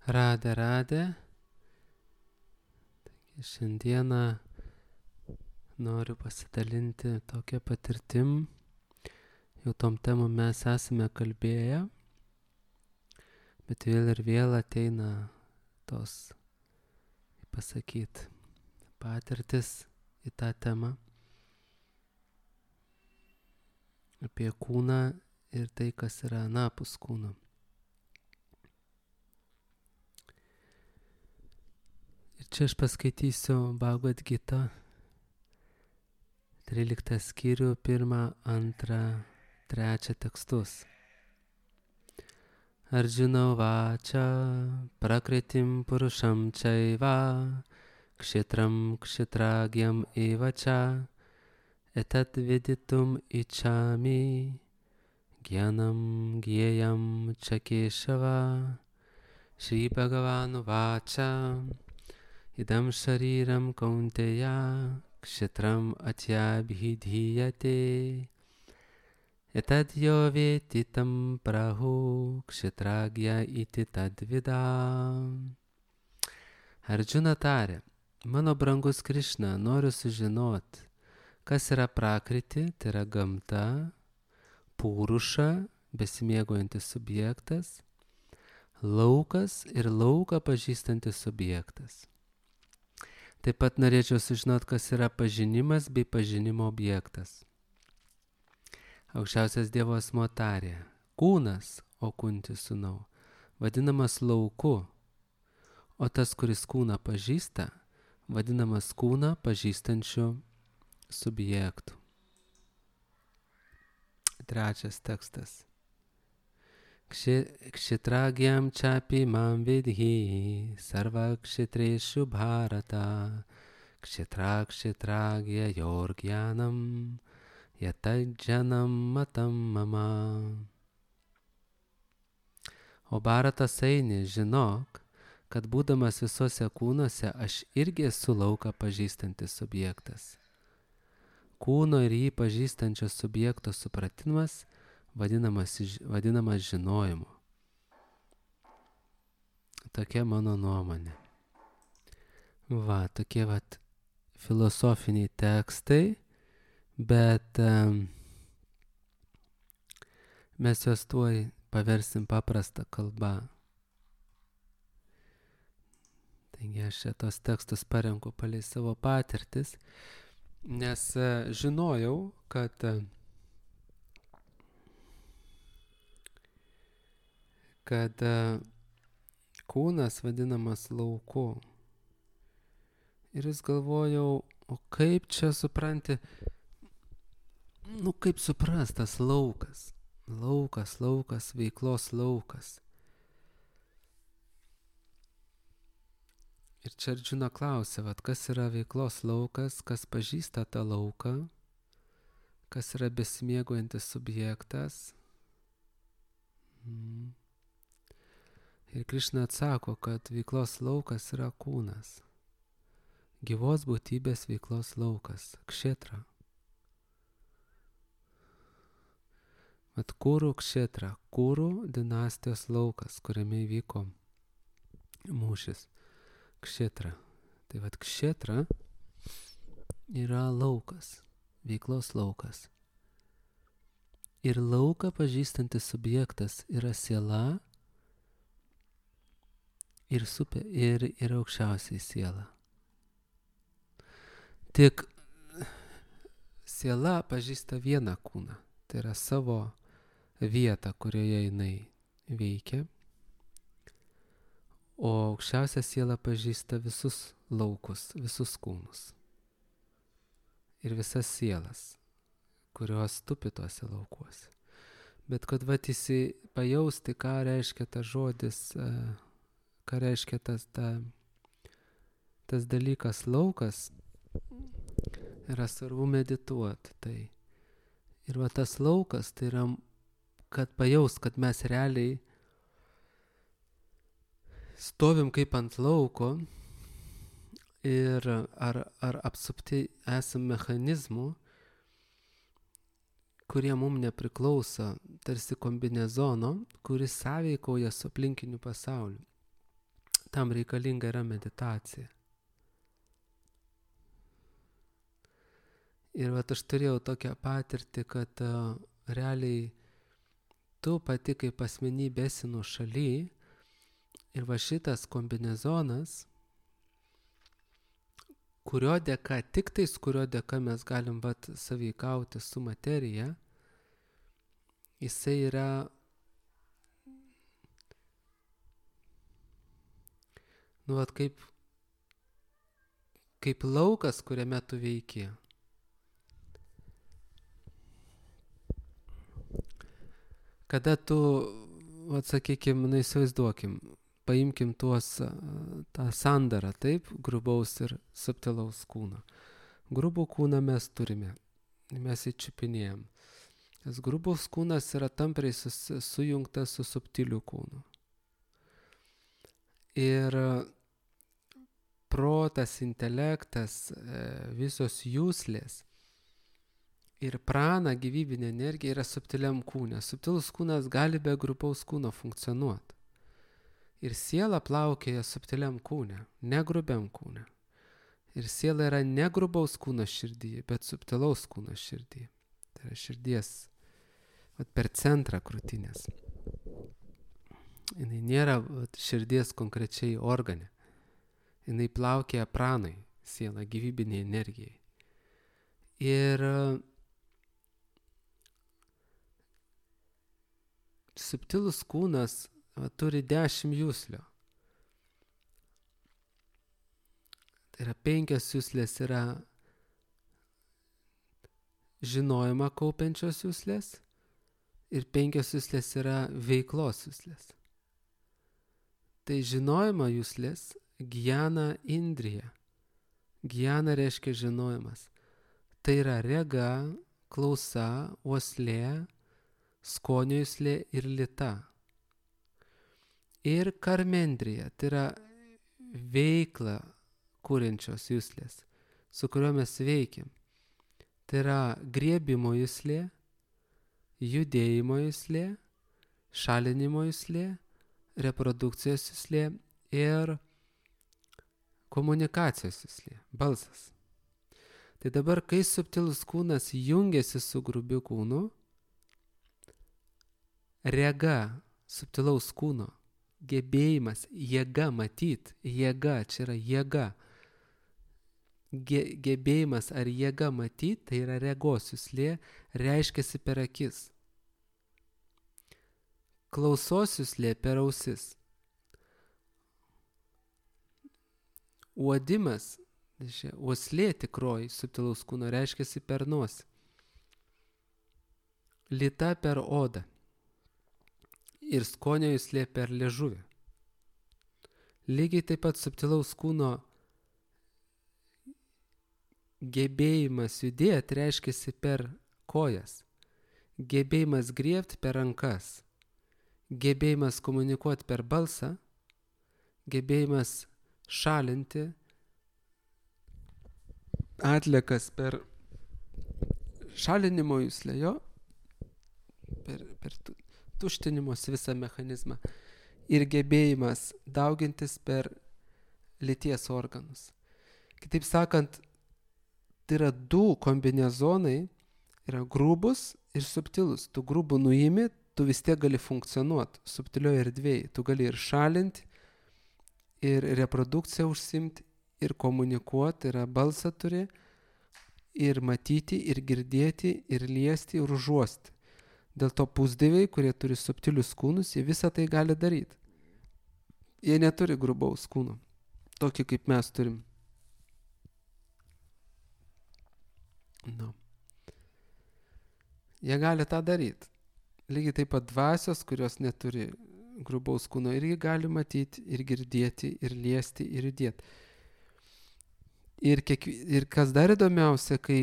Radė. Šiandieną noriu pasidalinti tokią patirtim. Jau tom temom mes esame kalbėję, bet vėl ir vėl ateina tos, pasakyt, patirtis į tą temą apie kūną ir tai, kas yra anapus kūno. Ir čia aš paskaitysiu Bhagavad Gita 13 skyrių, 1, 2, 3 tekstus. Arjuna vača prakritim purušam čaiva kshetram kshetragyam evača etat viditum ichami gyanam gyeyam čakeshava. Shri Bhagavanu vača idam shariram kaunteya kshetram atyabhidhiyate etad jo veti tam prahu kshetragya iti tadvida. Arjuna tarė, mano brangus Krišna, noriu sužinoti, kas yra prakriti, tai yra gamta, puruša, besimėgojantis subjektas, laukas ir lauką pažįstantis subjektas. Taip pat norėčiau sužinoti, kas yra pažinimas bei pažinimo objektas. Aukščiausias Dievo asmuo tarė, kūnas, o Kunti sūnau, vadinamas lauku, o tas, kuris kūną pažįsta, vadinamas kūną pažįstančiu subjektu. Trečias tekstas. Kshetragyam čapi mam vidhi sarva kshetreshu bharata kshetragya yorgyanam yatajjanam matam mama. O Bharatas eini, žinok, kad būdamas visuose kūnuose aš irgi esu lauką pažįstantis subjektas. Kūno ir jį pažįstančio subjekto supratimas vadinamas žinojimu. Tokia mano nuomonė. Va, tokie filosofiniai tekstai, bet mes juos tuoj paversim paprastą kalbą. Taigi aš tos tekstus parenku palei savo patirtis, nes žinojau, kad kūnas vadinamas lauku. Ir vis galvojau, o kaip čia supranti, kaip suprastas laukas. Laukas, veiklos laukas. Ir čia Arjuna klausė, kas yra veiklos laukas, kas pažįsta tą lauką, kas yra besimėgojantis subjektas. Ir Krišna atsako, kad veiklos laukas yra kūnas. Gyvos būtybės veiklos laukas, kshetra. Kūrų kshetra, kūrų dinastijos laukas, kuriame įvyko mūšis. Kshetra. Tai kshetra yra laukas, veiklos laukas. Ir lauką pažįstantis subjektas yra siela ir aukščiausiai siela. Tik siela pažįsta vieną kūną, tai yra savo vietą, kurioje jinai veikia, o aukščiausia siela pažįsta visus laukus, visus kūnus ir visas sielas, kurios tupi tuose laukuose. Bet kad pajausti, ką reiškia tas žodis, ką reiškia tas dalykas laukas, yra svarbu medituoti. Tai. Ir tas laukas, tai yra, kad pajaust, kad mes realiai stovim kaip ant lauko ir ar apsupti esam mechanizmų, kurie mums nepriklauso, tarsi kombinezono, kuris sąveikauja su aplinkiniu pasauliu. tam reikalinga yra meditacija. Ir vat aš turėjau tokią patirtį, kad realiai tu pati kaip asmenybė esi nuošaly ir va šitas kombinezonas, kurio dėka mes galim vat sąveikauti su materija, jisai yra vat kaip laukas, kuriame tu veiki. Kada tu, sakykim, įsivaizduokim, paimkim tą sandarą, taip, grubaus ir subtilaus kūno. Grubų kūną mes turime, mes įčiupinėjom. Tas grubus kūnas yra tampriai sujungtas su subtiliu kūnu. Ir protas, intelektas, visos jūslės ir prana, gyvybinė energija yra subtiliam kūne. Subtilus kūnas gali be grubaus kūno funkcionuoti. Ir siela plaukėja subtiliam kūne, ne grubiam kūne. Ir siela yra ne grubaus kūno širdyje, bet subtilaus kūno širdyje. Tai yra širdies per centrą krūtinės. Jinai nėra širdies konkrečiai organe. Jinai plaukėja pranai, siela gyvybinė energijai. Ir subtilus kūnas turi 10 jūslių. Tai yra 5 jūslės yra žinojimą kaupiančios jūslės ir 5 jūslės yra veiklos jūslės. Tai žinojimo jūslės gyjana indrija. Gyjana reiškia žinojimas. Tai yra rega, klausa, uoslė, skonio jūslė ir lita. Ir karmendrija, tai yra veikla kuriančios jūslės, su kuriuo mes veikiam. Tai yra griebimo jūslė, judėjimo jūslė, šalinimo jūslė, reprodukcijos jūslė ir komunikacijos jūslė, balsas. Tai dabar, kai subtilus kūnas jungiasi su grubiu kūnu, rega subtilaus kūno, gebėjimas, jėga matyt, jėga, čia yra jėga. Gebėjimas ar jėga matyt, tai yra regos jūslė, reiškiasi per akis. Klausos jūslė per ausis. Uodimas, uoslė tikroji subtilaus kūno reiškiasi per nosį. Lita per odą. Ir skonio jūslė per liežuvį. Lygiai taip pat subtilaus kūno gebėjimas judėti reiškiasi per kojas. Gebėjimas griebti per rankas. Gebėjimas komunikuoti per balsą. Gebėjimas šalinti atliekas per šalinimo jūslę, jo, per tuštinimosi visą mechanizmą ir gebėjimas daugintis per lyties organus. Kitaip sakant, tai yra 2 kombinezonai, yra grubus ir subtilus. Tu grubų nuimi, tu vis tiek gali funkcionuoti subtilioje erdvėje. Tu gali ir šalinti, ir reprodukciją užsimti, ir komunikuoti, yra balsą turi, ir matyti, ir girdėti, ir liesti, ir užuosti. Dėl to pusdieviai, kurie turi subtilius kūnus, jie visą tai gali daryti. Jie neturi grubaus kūno, tokį kaip mes turim. No. Jie gali tą daryti. Lygiai taip pat dvasios, kurios neturi grubaus kūno, irgi gali matyti, ir girdėti, ir liesti, ir judėti. Ir kas dar įdomiausia, kai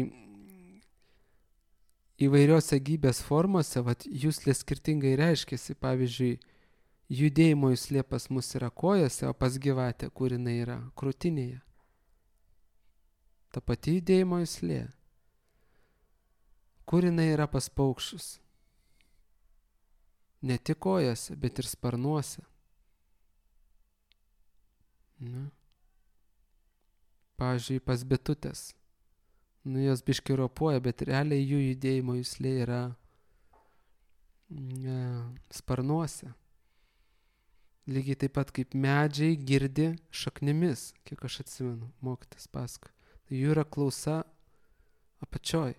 įvairiose gyvybės formose, jūslės skirtingai reiškiasi. Pavyzdžiui, judėjimo jūslė pas mus yra kojose, o pas gyvatę, kur jinai yra krūtinėje. Ta pati judėjimo jūslė. Kur jinai yra pas paukščius? Ne tik kojose, bet ir sparnuose. Ne? Pavyzdžiui, pas bitutės. Jos biški ropuoja, bet realiai jų judėjimo juslė yra sparnuose. Lygiai taip pat kaip medžiai girdi šaknimis, kiek aš atsimenu, mokytis paskui. Tai jų yra klausa apačioj.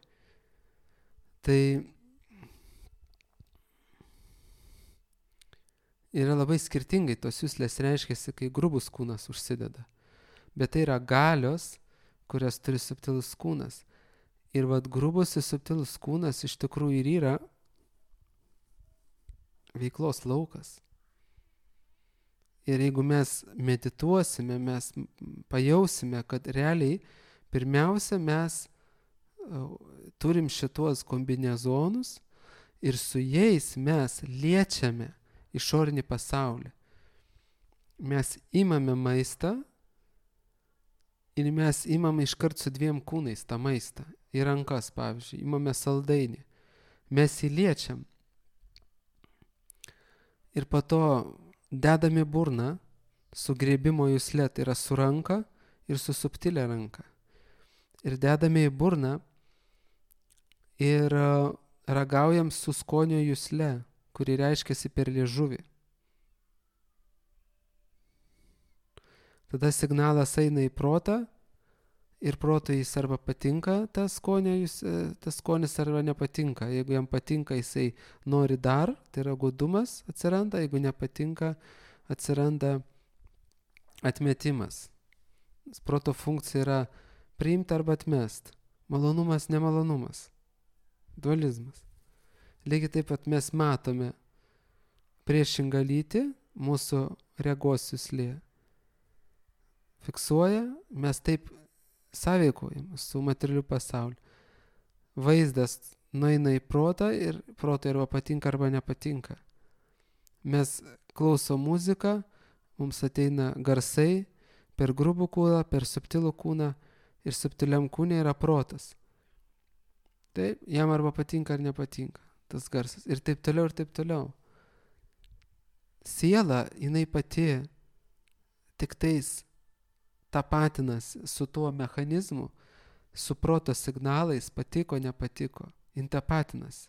Tai yra labai skirtingai tos juslės reiškiasi, kai grubus kūnas užsideda. Bet tai yra galios, kurias turi subtilus kūnas. Ir vat grubus ir subtilus kūnas iš tikrųjų ir yra veiklos laukas. Ir jeigu mes medituosime, mes pajausime, kad realiai pirmiausia mes turim šituos kombinezonus ir su jais mes liečiame išorinį pasaulį. Mes imame maistą ir mes imame iškart su 2 kūnais tą maistą. Į rankas, pavyzdžiui, imame saldainį. Mes jį liečiam. Ir po to dedame burną su grėbimo jusle, tai yra su ranka ir su subtilia ranka. Ir dedame į burną ir ragaujam su skonio jusle, kuri reiškiasi per liežuvį. Tada signalas eina į protą ir protui jis arba patinka tas skonis arba nepatinka. Jeigu jam patinka, jisai nori dar, tai yra godumas atsiranda, jeigu nepatinka, atsiranda atmetimas. Proto funkcija yra priimti arba atmest. Malonumas, nemalonumas. Dualizmas. Lygiai taip pat mes matome priešingą lytį, mūsų regos juslė fiksuoja, mes taip sąveikojam su materialiu pasauliu. Vaizdas nueina į protą ir protui arba patinka arba nepatinka. Mes klausom muziką, mums ateina garsai per grubų kūną, per subtilų kūną ir subtiliam kūne yra protas. Taip, jam arba patinka ar nepatinka tas garsas. Ir taip toliau, ir taip toliau. Siela, jinai pati tik tais tapatinas su tuo mechanizmu, su proto signalais, patiko, nepatiko. Jin tapatinas.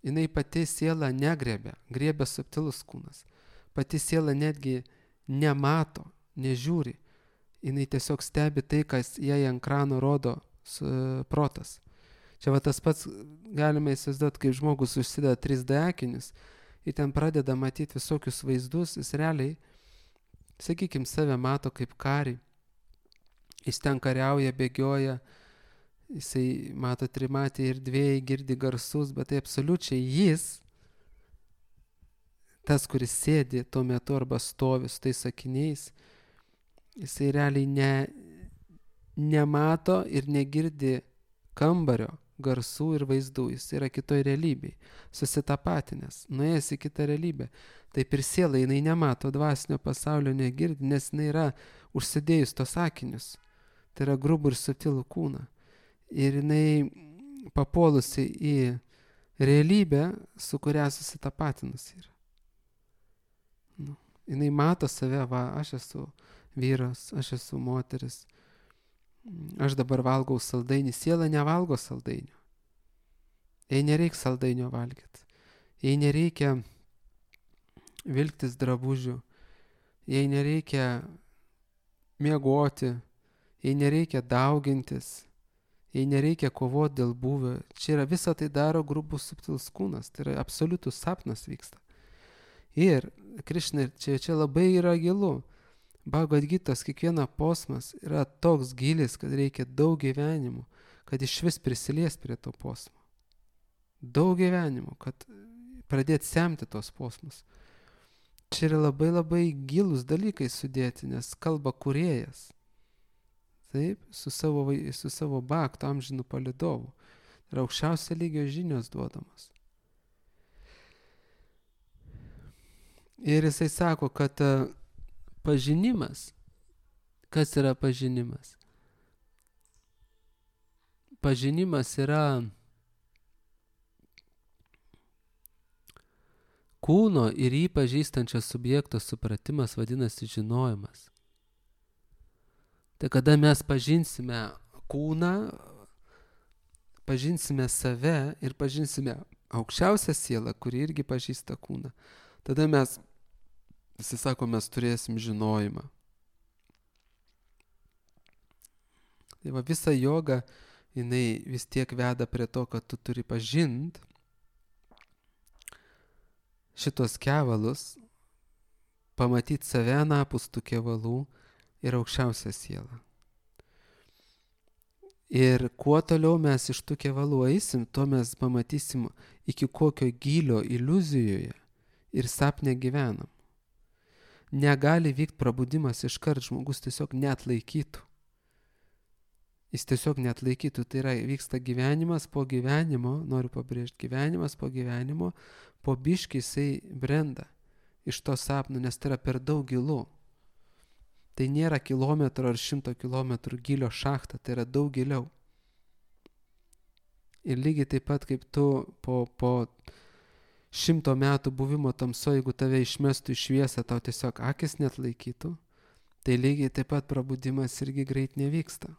Jinai pati siela negriebia, griebia subtilus kūnas. Pati siela netgi nemato, nežiūri. Jinai tiesiog stebi tai, kas jai ant krano rodo protas. Čia va tas pats galime įsivaizduoti, kaip žmogus užsideda 3D akinius ir ten pradeda matyti visokius vaizdus, jis realiai, sakykime, save mato kaip karį. Jis ten kariauja, bėgioja, jisai mato trimatį ir dviejai, girdi garsus, bet tai absoliučiai jis, tas, kuris sėdi tuo metu arba stovi su tais sakiniais, jisai realiai nemato ir negirdi kambario garsų ir vaizdų, jis yra kitoj realybėj, susitapatinęs, nuėjęs į kitą realybę. Taip ir siela, jinai nemato dvasinio pasaulio, negirdi, nes jinai yra užsidėjus tos akinius. Tai yra grubų ir subtilų kūną. Ir jinai papuolusi į realybę, su kuria susitapatinus yra. Jinai mato save, va, aš esu vyras, aš esu moteris, aš dabar valgau saldainį. Siela nevalgo saldainio. Jai nereikia saldainio valgyti. Jai nereikia vilktis drabužių. Jai nereikia miegoti. Jai nereikia daugintis. Jai nereikia kovoti dėl būvio. Čia yra visą tai daro grubus subtilus kūnas. Tai yra absoliutus sapnas vyksta. Ir Krišna, čia labai yra gilu. Bhagavad Gitos kiekviena posmas yra toks gilis, kad reikia daug gyvenimų, kad iš vis prisilies prie to posmo. Daug gyvenimų, kad pradėti semti tos posmus. Čia yra labai labai gilus dalykai sudėti, nes kalba kūrėjas. Taip, su savo bhakto amžinu palidovu. Yra aukščiausio lygio žinios duodamos. Ir jisai sako, kad pažinimas, kas yra pažinimas? Pažinimas yra kūno ir jį pažįstančio subjekto supratimas vadinasi žinojimas. Tai kada mes pažinsime kūną, pažinsime save ir pažinsime aukščiausią sielą, kuri irgi pažįsta kūną, tada mes, visi sako, mes turėsim žinojimą. Tai va, visa joga, jinai vis tiek veda prie to, kad tu turi pažint šitos kevalus, pamatyti save anapus tų kevalų ir aukščiausią sielą. Ir kuo toliau mes iš tų kevalų eisim, tuo mes pamatysim, iki kokio gylio iliuzijoje ir sapne gyvenam. Negali vykti prabudimas iškart, žmogus tiesiog neatlaikytų. Jis tiesiog neatlaikytų, tai yra vyksta gyvenimas po gyvenimo, noriu pabrėžti, gyvenimas po gyvenimo, po biškį jisai brenda iš to sapno, nes tai yra per daug gilu. Tai nėra kilometro ar 100 kilometrų gylio šachta, tai yra daug giliau. Ir lygiai taip pat kaip tu po 100 metų buvimo tamsoje, jeigu tave išmestų į šviesą, tau tiesiog akis neatlaikytų, tai lygiai taip pat prabudimas irgi greit nevyksta.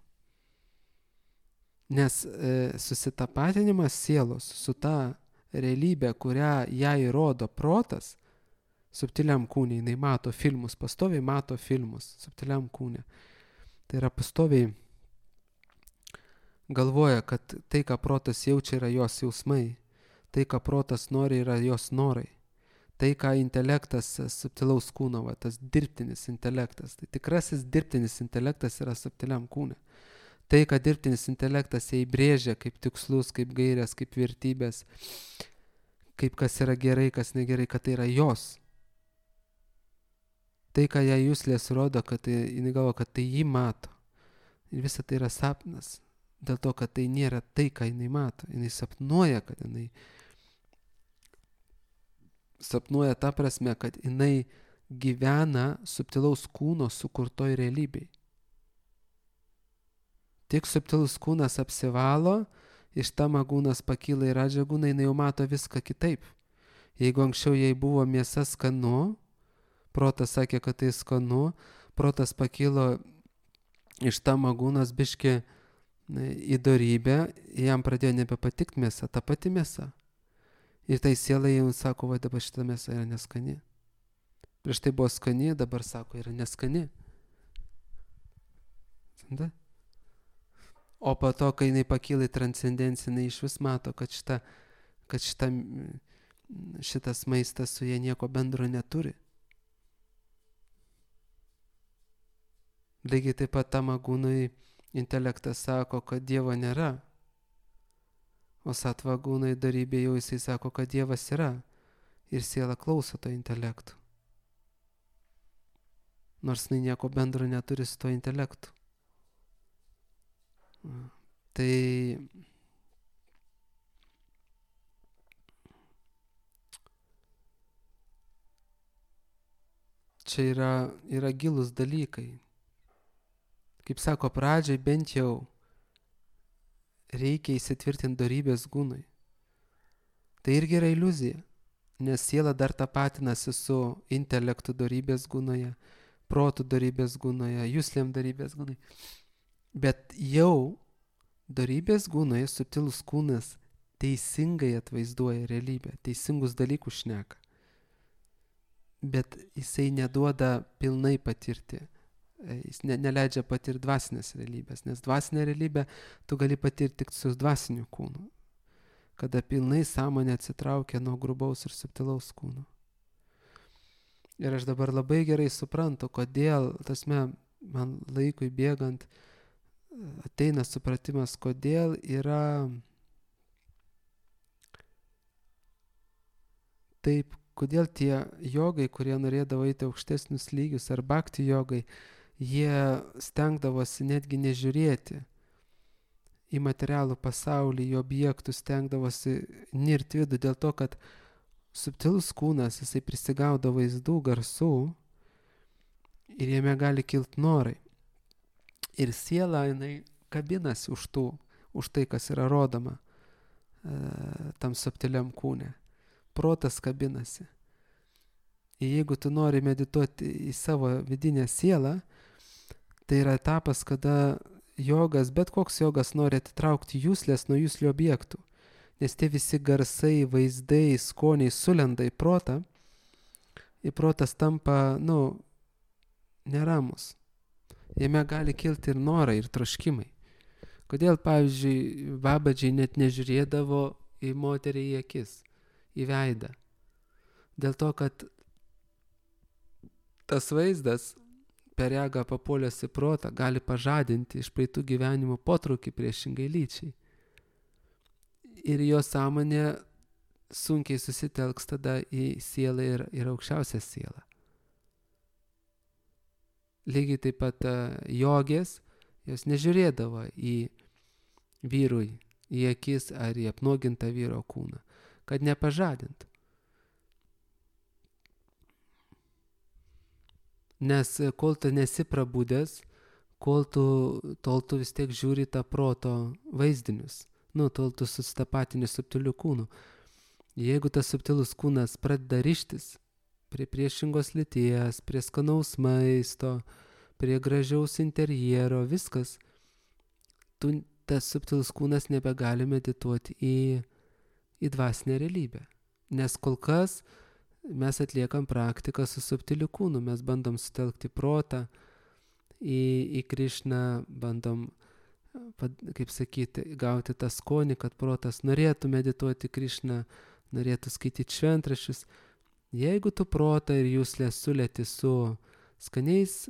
Nes susitapatinimas sielos su ta realybė, kurią ją įrodo protas, subtiliam kūne, jinai mato filmus, pastoviai mato filmus subtiliam kūne. Tai yra pastoviai galvoja, kad tai, ką protas jaučia, yra jos jausmai, tai, ką protas nori, yra jos norai. Tai, ką intelektas subtilaus kūno, va, tas dirbtinis intelektas, tai tikrasis dirbtinis intelektas yra subtiliam kūne. Tai, ką dirbtinis intelektas įbrėžia kaip tikslus, kaip gairės, kaip vertybės, kaip kas yra gerai, kas negerai, kad tai yra jos. Tai, ką ją juslės rodo, kad jinai galvo, kad tai jį mato. Ir visa tai yra sapnas. Dėl to, kad tai nėra tai, ką jinai mato. Jinai sapnuoja, kad jinai sapnuoja ta prasme, kad jinai gyvena subtilaus kūno sukurtoj realybėj. Tik subtilus kūnas apsivalo, iš tamagūnas pakyla į radžagūną, jinai jau mato viską kitaip. Jeigu anksčiau jai buvo mėsa skanu, protas sakė, kad tai skanu, protas pakilo iš tamagūnas biški į dorybę, jam pradėjo nebepatikti mėsa, ta pati mėsa. Ir tai siela jau sako, va dabar šita mėsa yra neskani. Prieš tai buvo skani, dabar sako, yra neskani. Da? O po to, kai jinai pakyla į transcendenciją, jinai iš vis mato, kad šitas maistas su jie nieko bendro neturi. Lygiai taip pat tamagūnui intelektas sako, kad Dievo nėra. O satvagūnai darybė jau jisai sako, kad Dievas yra. Ir siela klauso to intelektų. Nors jinai nieko bendro neturi su to intelektu. Tai čia yra gilūs dalykai. Kaip sako, pradžiai bent jau reikia įsitvirtinti dorybės gūnui. Tai irgi yra iliuzija, nes siela dar tapatinasi su intelektu dorybės gūnoje, protų dorybės gūnoje, juslėm dorybės gūnoje. Bet jau dorybės gūnoje subtilus kūnas teisingai atvaizduoja realybę, teisingus dalykus šneka. Bet jisai neduoda pilnai patirti. Jis neleidžia patirti dvasinės realybės, nes dvasinę realybę tu gali patirti tik su dvasiniu kūnu, kada pilnai sąmonė atsitraukia nuo grubaus ir subtilaus kūno. Ir aš dabar labai gerai suprantu, kodėl, tasme, man laikui bėgant, ateina supratimas, kodėl yra taip, kodėl tie jogai, kurie norėdavo eiti aukštesnius lygius, ar bhakti jogai, jie stengdavosi netgi nežiūrėti į materialų pasaulį, į objektus, stengdavosi nirt vidų, dėl to, kad subtilus kūnas, jisai prisigaudo vaizdų, garsų ir jame gali kilti norai. Ir siela, jinai kabinasi už tai, kas yra rodoma tam subtiliam kūne. Protas kabinasi. jeigu tu nori medituoti į savo vidinę sielą, tai yra etapas, kada jogas, bet koks jogas nori atitraukti juslės nuo juslių objektų. Nes tie visi garsai, vaizdai, skoniai sulenda į protą. Ir protas tampa, neramus. Jame gali kilti ir norai, ir troškimai. Kodėl, pavyzdžiui, babadžiai net nežiūrėdavo į moterį į akis, į veidą? Dėl to, kad tas vaizdas per regą papuolęs į protą gali pažadinti iš praeitų gyvenimų potraukį priešingai lyčiai. Ir jo sąmonė sunkiai susitelks tada į sielą ir aukščiausią sielą. Lygiai taip pat jogės, jos nežiūrėdavo į vyrui, į akis ar į apnuogintą vyro kūną, kad nepažadintų. Nes kol tu nesi prabudęs, tol tu vis tiek žiūri tą proto vaizdinius, tol tu susitapatini subtilių kūnų. Jeigu tas subtilus kūnas pradeda rištis prie priešingos lyties, prie skanaus maisto, prie gražiaus interjero, viskas, tas subtilus kūnas nebegali medituoti į dvasinę realybę. Nes kol kas mes atliekam praktiką su subtiliu kūnu, mes bandom sutelkti protą į Krišną, bandom, kaip sakyti, gauti tą skonį, kad protas norėtų medituoti Krišną, norėtų skaityti šventraščius. Jeigu tu protą ir juslę sulėti su skaniais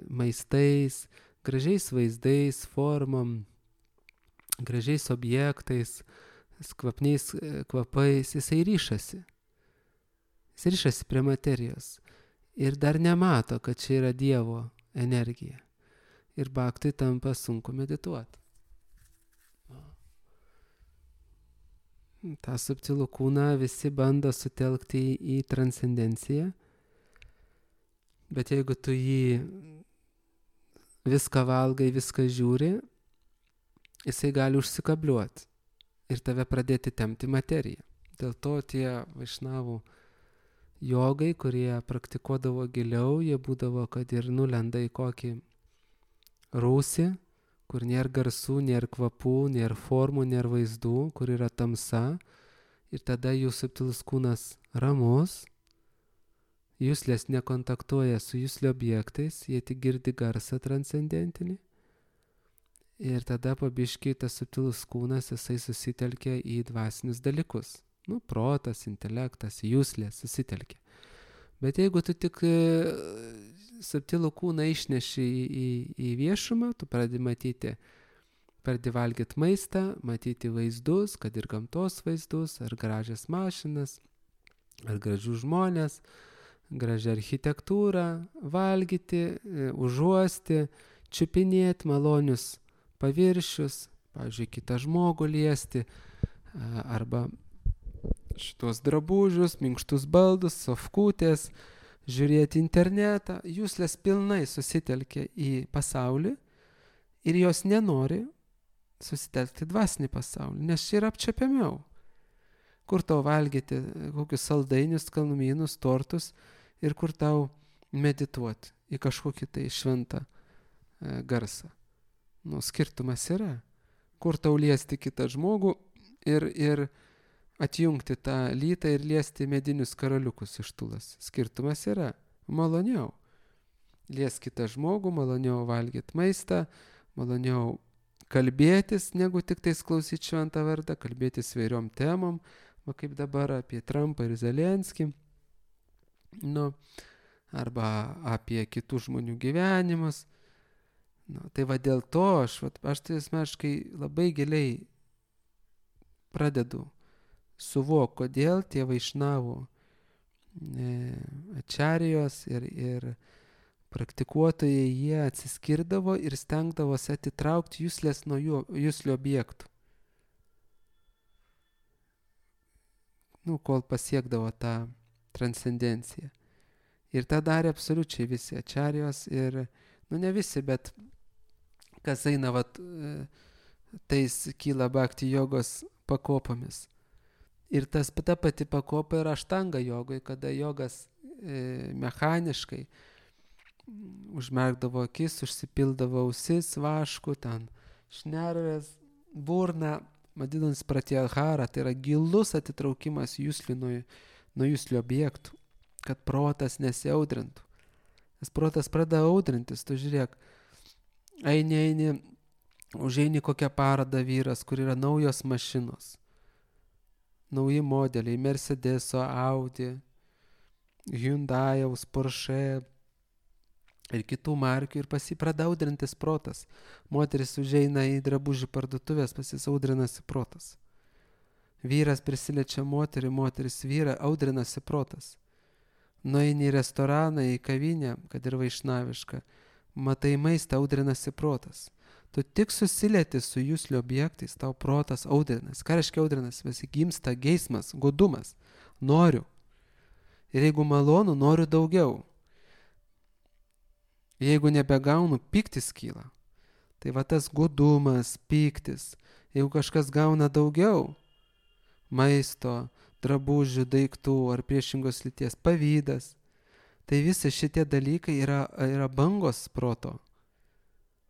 maistais, gražiais vaizdais, formom, gražiais objektais, kvapniais kvapais, jisai ryšasi. Jis ryšasi prie materijos ir dar nemato, kad čia yra Dievo energija. Ir baktui tampa sunku medituoti. tą subtilų kūną visi bando sutelkti į transcendenciją, bet jeigu tu jį viską valgai, viską žiūri, jisai gali užsikabliuoti ir tave pradėti tempti materiją. Dėl to tie vaišnavų jogai, kurie praktikuodavo giliau, jie būdavo, kad ir nulenda į kokį rūsį, kur nėra garsų, nėra kvapų, nėra formų, nėra vaizdų, kur yra tamsa, ir tada jų subtilus kūnas ramus, juslės nekontaktuoja su juslio objektais, jie tik girdi garsą transcendentinį, ir tada pabiškiai tas subtilus kūnas, jisai susitelkia į dvasinius dalykus. Protas, intelektas, juslės susitelkia. Bet jeigu tu tik subtilų kūną išneši į viešumą, tu pradedi matyti, pradedi valgyti maistą, matyti vaizdus, kad ir gamtos vaizdus, ar gražias mašinas, ar gražių žmonės, gražią architektūrą, valgyti, užuosti, čiupinėti malonius paviršius, pavyzdžiui, kitą žmogų liesti, arba šitos drabužius, minkštus baldus, sofkutės, žiūrėti internetą, juslės pilnai susitelkia į pasaulį ir jos nenori susitelkti dvasinį pasaulį, nes čia yra apčiapiamiau. Kur tau valgyti kokius saldainius, skanumynus, tortus ir kur tau medituoti į kažkokį tai šventą garsą. Skirtumas yra. Kur tau liesti kitą žmogų ir atjungti tą lytą ir liesti medinius karaliukus iš tulas. Skirtumas yra. Maloniau. Lies kitą žmogų, maloniau valgyti maistą, maloniau kalbėtis, negu tik tais klausyti šventą vardą, kalbėtis vairiom temom, kaip dabar apie Trumpą ir Zelenskį, arba apie kitų žmonių gyvenimus. Tai va dėl to aš tai asmeniškai labai giliai pradedu suvok, kodėl tie vaišnavų ačarijos ir praktikuotojai, jie atsiskirdavo ir stengdavosi atitraukti juslės nuo juslių objektų. Kol pasiekdavo tą transcendenciją. Ir tą darė absoliučiai visi ačarijos ir, ne visi, bet kas eina, tais kyla bhakti jogos pakopomis. Ir ta pati pakopa yra aštanga jogoj, kada jogas mechaniškai, užmerkdavo akis, užsipildavo ausis vašku, ten šnervės, burna, vadinasi pratyahara, tai yra gilus atitraukimas nuo jūslių objektų, kad protas nesiaudrintų. Nes protas pradeda audrintis, tu žiūrėk, eini, užeini kokią parodą vyras, kur yra naujos mašinos, nauji modeliai, Mercedeso, Audi, Hyundai'aus, Porsche ir kitų markių ir pradeda audrintis protas. Moteris užeina į drabužių parduotuvės, pasisaudrinasi protas. Vyras prisiliečia moterį, moteris vyrą, audrinasi protas. Nueini į restoraną, į kavinę, kad ir vaišnavišką, matai maistą, audrinasi protas. Tu tik susilieti su jūslių objektais, tau protas audrinas. Ką reiškia audrinas? Visi gimsta geismas, godumas. Noriu. Ir jeigu malonu, noriu daugiau. Jeigu nebegaunu, pyktis kyla. Tai va tas godumas, pyktis. Jeigu kažkas gauna daugiau maisto, drabužių, daiktų ar priešingos lyties, pavydas, tai visi šitie dalykai yra bangos proto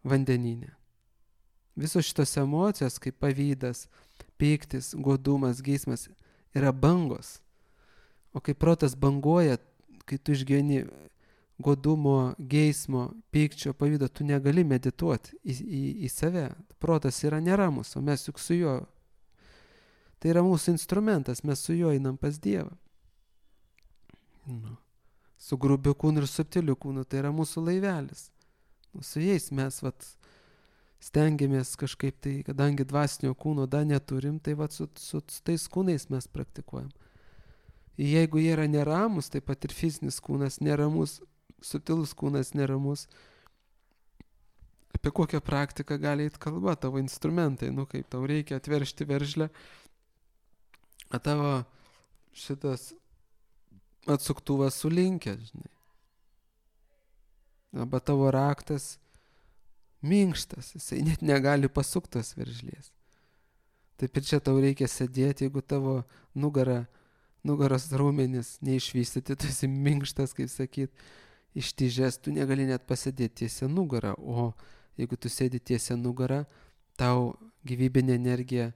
vandenyne. Visos šitos emocijos, kaip pavydas, pyktis, godumas, geismas, yra bangos. O kai protas banguoja, kai tu išgyveni godumo, geismo, pykčio, pavydo, tu negali medituoti į save. Protas yra neramus, o mes juk su juo. Tai yra mūsų instrumentas, mes su juo einam pas Dievą. Su grubiu kūnu ir subtiliu kūnu, tai yra mūsų laivelis. Su jais mes stengiamės kažkaip tai, kadangi dvasinio kūno dar neturim, tai su tais kūnais mes praktikuojam. Jeigu jie yra neramus, taip pat ir fizinis kūnas neramus, subtilus kūnas neramus, apie kokią praktiką gali eit kalba, tavo instrumentai, kaip tau reikia atveršti veržlę, o tavo šitas atsuktuvas sulinkęs, žinai. Arba tavo raktas minkštas, jisai net negali pasuktos veržlės. Taip ir čia tau reikia sėdėti, jeigu tavo nugaros raumenis neišvystyti, tu esi minkštas, kaip sakyt, ištižęs, tu negali net pasėdėti tiesia nugarą, o jeigu tu sėdi tiesia nugarą, tau gyvybinė energija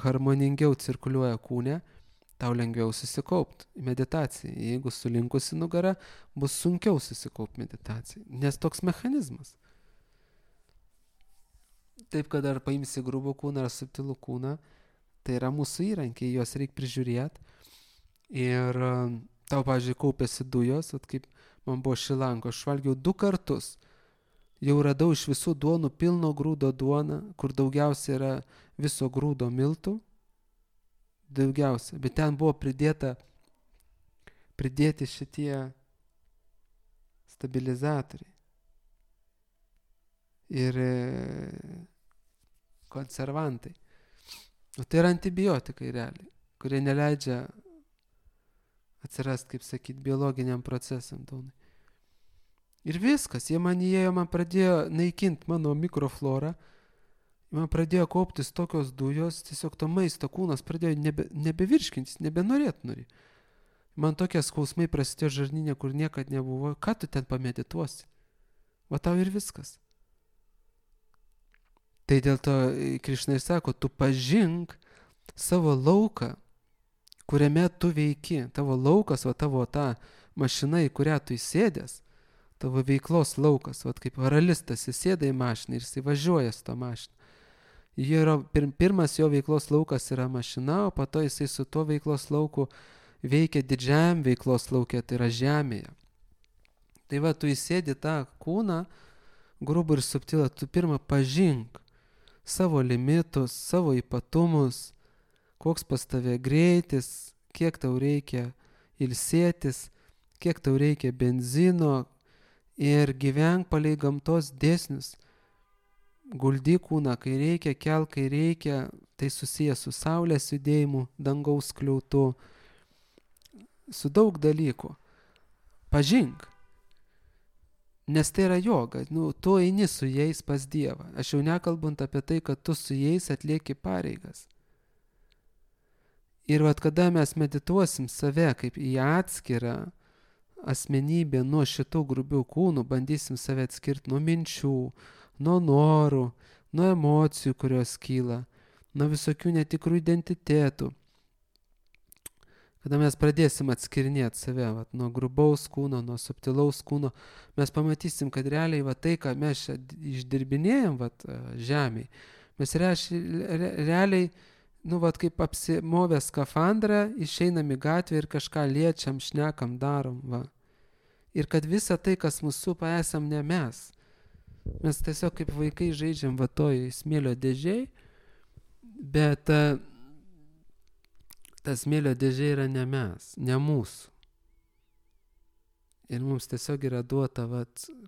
harmoningiau cirkuliuoja kūne, tau lengviau susikaupti meditacijai. Jeigu sulinkusi nugara, bus sunkiau susikaupti meditacijai, nes toks mechanizmas. Taip, kad ar paimsi grubų kūną ar subtilų kūną, tai yra mūsų įrankiai, juos reikia prižiūrėti. Ir tau, pavyzdžiui, kaupėsi dujos, kaip man buvo Šrilanko, aš valgiau 2 kartus. Jau radau iš visų duonų pilno grūdo duoną, kur daugiausia yra viso grūdo miltų. Daugiausia. Bet ten buvo pridėti šitie stabilizatoriai. Ir konservantai. O tai yra antibiotikai realiai, kurie neleidžia atsirasti, kaip sakyt, biologiniam procesam. Ir viskas, jie man pradėjo naikinti mano mikroflorą, man pradėjo kauptis tokios dujos, tiesiog to maisto kūnas pradėjo nebevirškintis, nebenorėti. Man tokie skausmai prasidėjo žarnyne, kur niekad nebuvo. Ką tu ten pamedituosi? Va tau ir viskas. Tai dėl to Krišna sako, tu pažink savo lauką, kuriame tu veiki. Tavo laukas, tavo ta mašina, į kurią tu įsėdęs, tavo veiklos laukas, kaip varalistas įsėda į mašiną ir jis važiuoja su tą mašiną. Pirmas jo veiklos laukas yra mašina, o po to jisai su tuo veiklos lauku veikia didžiajam veiklos lauke, tai yra žemėje. Tai tu įsėdi tą kūną, grubų ir subtilą, tu pirmą pažink savo limitus, savo ypatumus, koks pas tave greitis, kiek tau reikia ilsėtis, kiek tau reikia benzino ir gyvenk palei gamtos dėsnius. Guldyk kūną, kai reikia, kelk, kai reikia, tai susijęs su saulės judėjimu, dangaus skliautu, su daug dalykų. Pažink, nes tai yra joga, tu eini su jais pas Dievą. Aš jau nekalbant apie tai, kad tu su jais atlieki pareigas. Ir kada mes medituosim save kaip į atskirą asmenybė nuo šitų grubių kūnų, bandysim save atskirti nuo minčių, nuo norų, nuo emocijų, kurios kyla, nuo visokių netikrų identitetų. Kada mes pradėsim atskirinėti save nuo grubaus kūno, nuo subtilaus kūno, mes pamatysim, kad realiai tai, ką mes čia išdirbinėjom žemėje, mes realiai, kaip apsimovę skafandrą, išeinam į gatvę ir kažką liečiam, šnekam, darom. Ir kad visa tai, kas mūsų supa, esam ne mes. Mes tiesiog kaip vaikai žaidžiam toj smėlio dėžėj, bet ta smėlio dėžė yra ne mes, ne mūsų. Ir mums tiesiog yra duota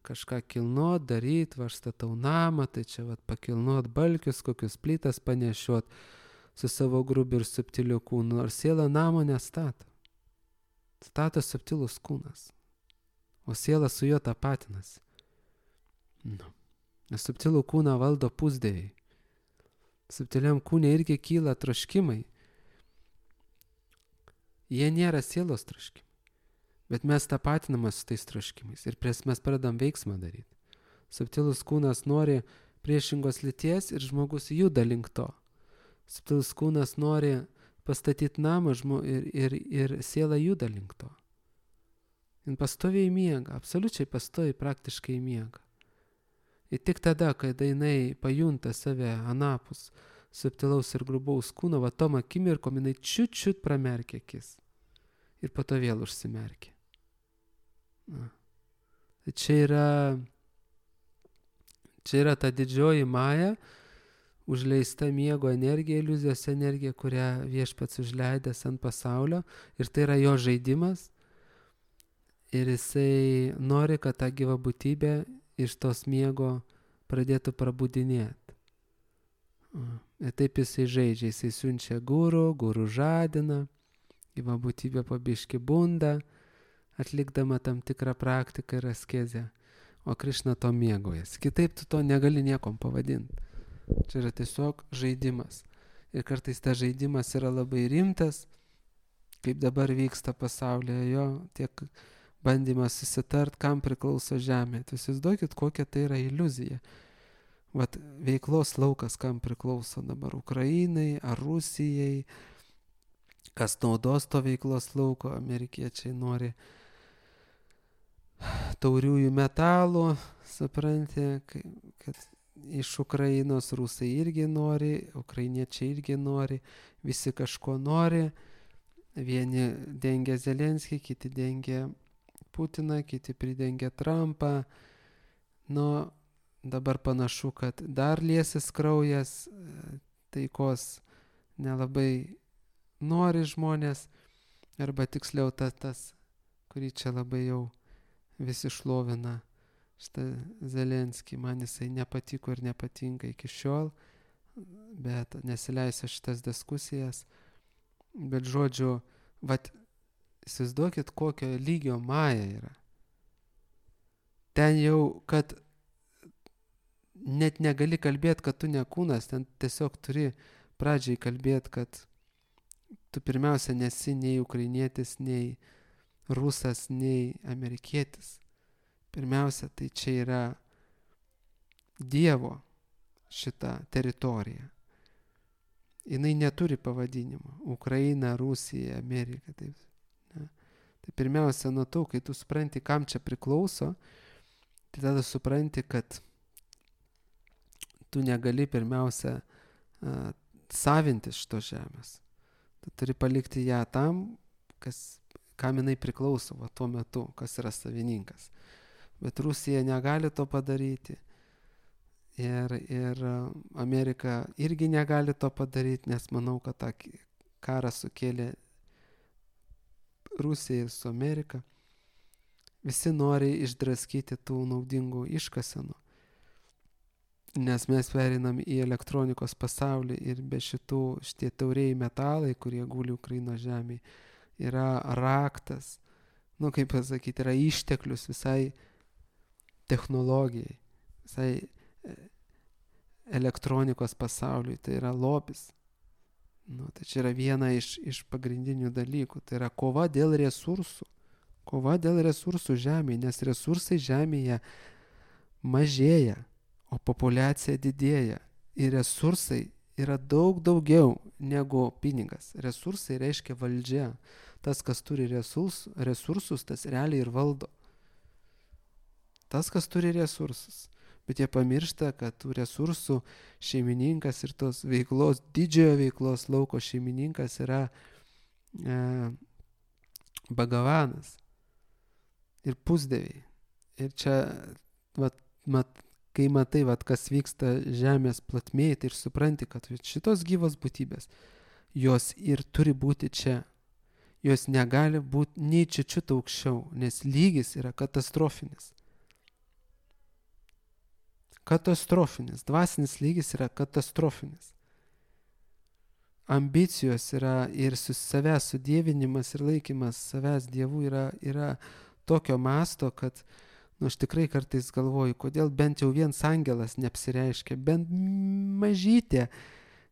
kažką kilnot, daryt, aš statau namą, tai čia pakilnot balkius, kokius plytas panešiot su savo grubiu ir subtiliu kūnu. Nors siela namo nestato. Stato subtilus kūnas. O siela su juo tapatinasi. Nes subtilų kūną valdo pusdieviai. Subtiliam kūne irgi kyla troškimai. Jie nėra sielos troškimai. Bet mes tapatinamas su tais troškimais. Ir mes pradedam veiksmą daryti. Subtilus kūnas nori priešingos lyties ir žmogus juda link to. Subtilus kūnas nori pastatyti namą ir siela juda link to. Jis pastoviai miega, absoliučiai pastoviai praktiškai miega. Ir tik tada, kai jinai pajunta save anapus subtilaus ir grubaus kūno, tom akimirkom jinai čiut pramerkia akis. Ir po to vėl užsimerkia. Tai čia yra ta didžioji maja, užleista miego energija, iliuzijos energija, kurią Viešpats užleidęs ant pasaulio. Ir tai yra jo žaidimas. Ir jisai nori, kad ta gyva būtybė iš tos miego pradėtų prabudinėti. Ir taip jisai žaidžia, jisai siunčia guru žadina, gyva būtybė po biškį bunda, atlikdama tam tikrą praktiką ir askezę, o Krišna to mėgaujasi. Kitaip tu to negali niekom pavadinti. Čia yra tiesiog žaidimas. Ir kartais tas žaidimas yra labai rimtas, kaip dabar vyksta pasaulyje, jo tiek bandymas susitart, kam priklauso žemė. Tai įsivaizduokit, kokia tai yra iliuzija. Veiklos laukas, kam priklauso dabar Ukrainai ar Rusijai, kas naudos to veiklos lauko. Amerikiečiai nori tauriųjų metalų, supranti, kad iš Ukrainos rusai irgi nori, ukrainiečiai irgi nori, visi kažko nori. Vieni dengia Zelenskį, kiti dengia Putiną, kiti pridengia Trumpą. Dabar panašu, kad dar liesis kraujas, taikos nelabai nori žmonės, arba tiksliau tas, kurį čia labai jau visi šlovina, šitą Zelenskį, man jisai nepatiko ir nepatinka iki šiol, bet nesileisiu šitas diskusijas. Bet žodžiu, įsivaizduokit, kokio lygio maja yra. Ten jau, kad net negali kalbėti, kad tu ne kūnas, ten tiesiog turi pradžiai kalbėti, kad tu pirmiausia nesi nei ukrainietis, nei rusas, nei amerikietis. Pirmiausia, tai čia yra Dievo šita teritorija. Jinai neturi pavadinimo. Ukraina, Rusija, Amerika. Tai pirmiausia, nuo to, kai tu supranti, kam čia priklauso, tai tada supranti, kad tu negali pirmiausia savintis šitos žemės. Tu turi palikti ją tam, kam jinai priklauso tuo metu, kas yra savininkas. Bet Rusija negali to padaryti. Ir Amerika irgi negali to padaryti, nes manau, kad tą karą sukėlė Rusija ir su Amerika. Visi nori išdraskyti tų naudingų iškasenų, nes mes pereinam į elektronikos pasaulį ir be šitie tauriai metalai, kurie guli Ukrainos žemėje, yra raktas, kaip pasakyti, yra išteklius visai technologijai, visai elektronikos pasauliui, tai yra lobis. Tai čia yra viena iš pagrindinių dalykų, tai yra kova dėl resursų, Kova dėl resursų žemėje, nes resursai žemėje mažėja, o populiacija didėja. Ir resursai yra daug daugiau negu pinigas. Resursai reiškia valdžia. Tas, kas turi resursus, tas realiai ir valdo. Tas, kas turi resursus. Bet jie pamiršta, kad tų resursų šeimininkas ir tos veiklos, didžiojo veiklos lauko šeimininkas yra Bhagavanas ir pusdieviai. Ir čia, kai matai, kas vyksta žemės platmėje, tai ir supranti, kad šitos gyvos būtybės, jos ir turi būti čia. Jos negali būti nei čiučiut aukščiau, nes lygis yra katastrofinis. Katastrofinis. Dvasinis lygis yra katastrofinis. Ambicijos yra ir savęs sudievinimas ir laikymas savęs dievų yra tokio masto, kad aš tikrai kartais galvoju, kodėl bent jau vienas angelas neapsireiškia, bent mažytė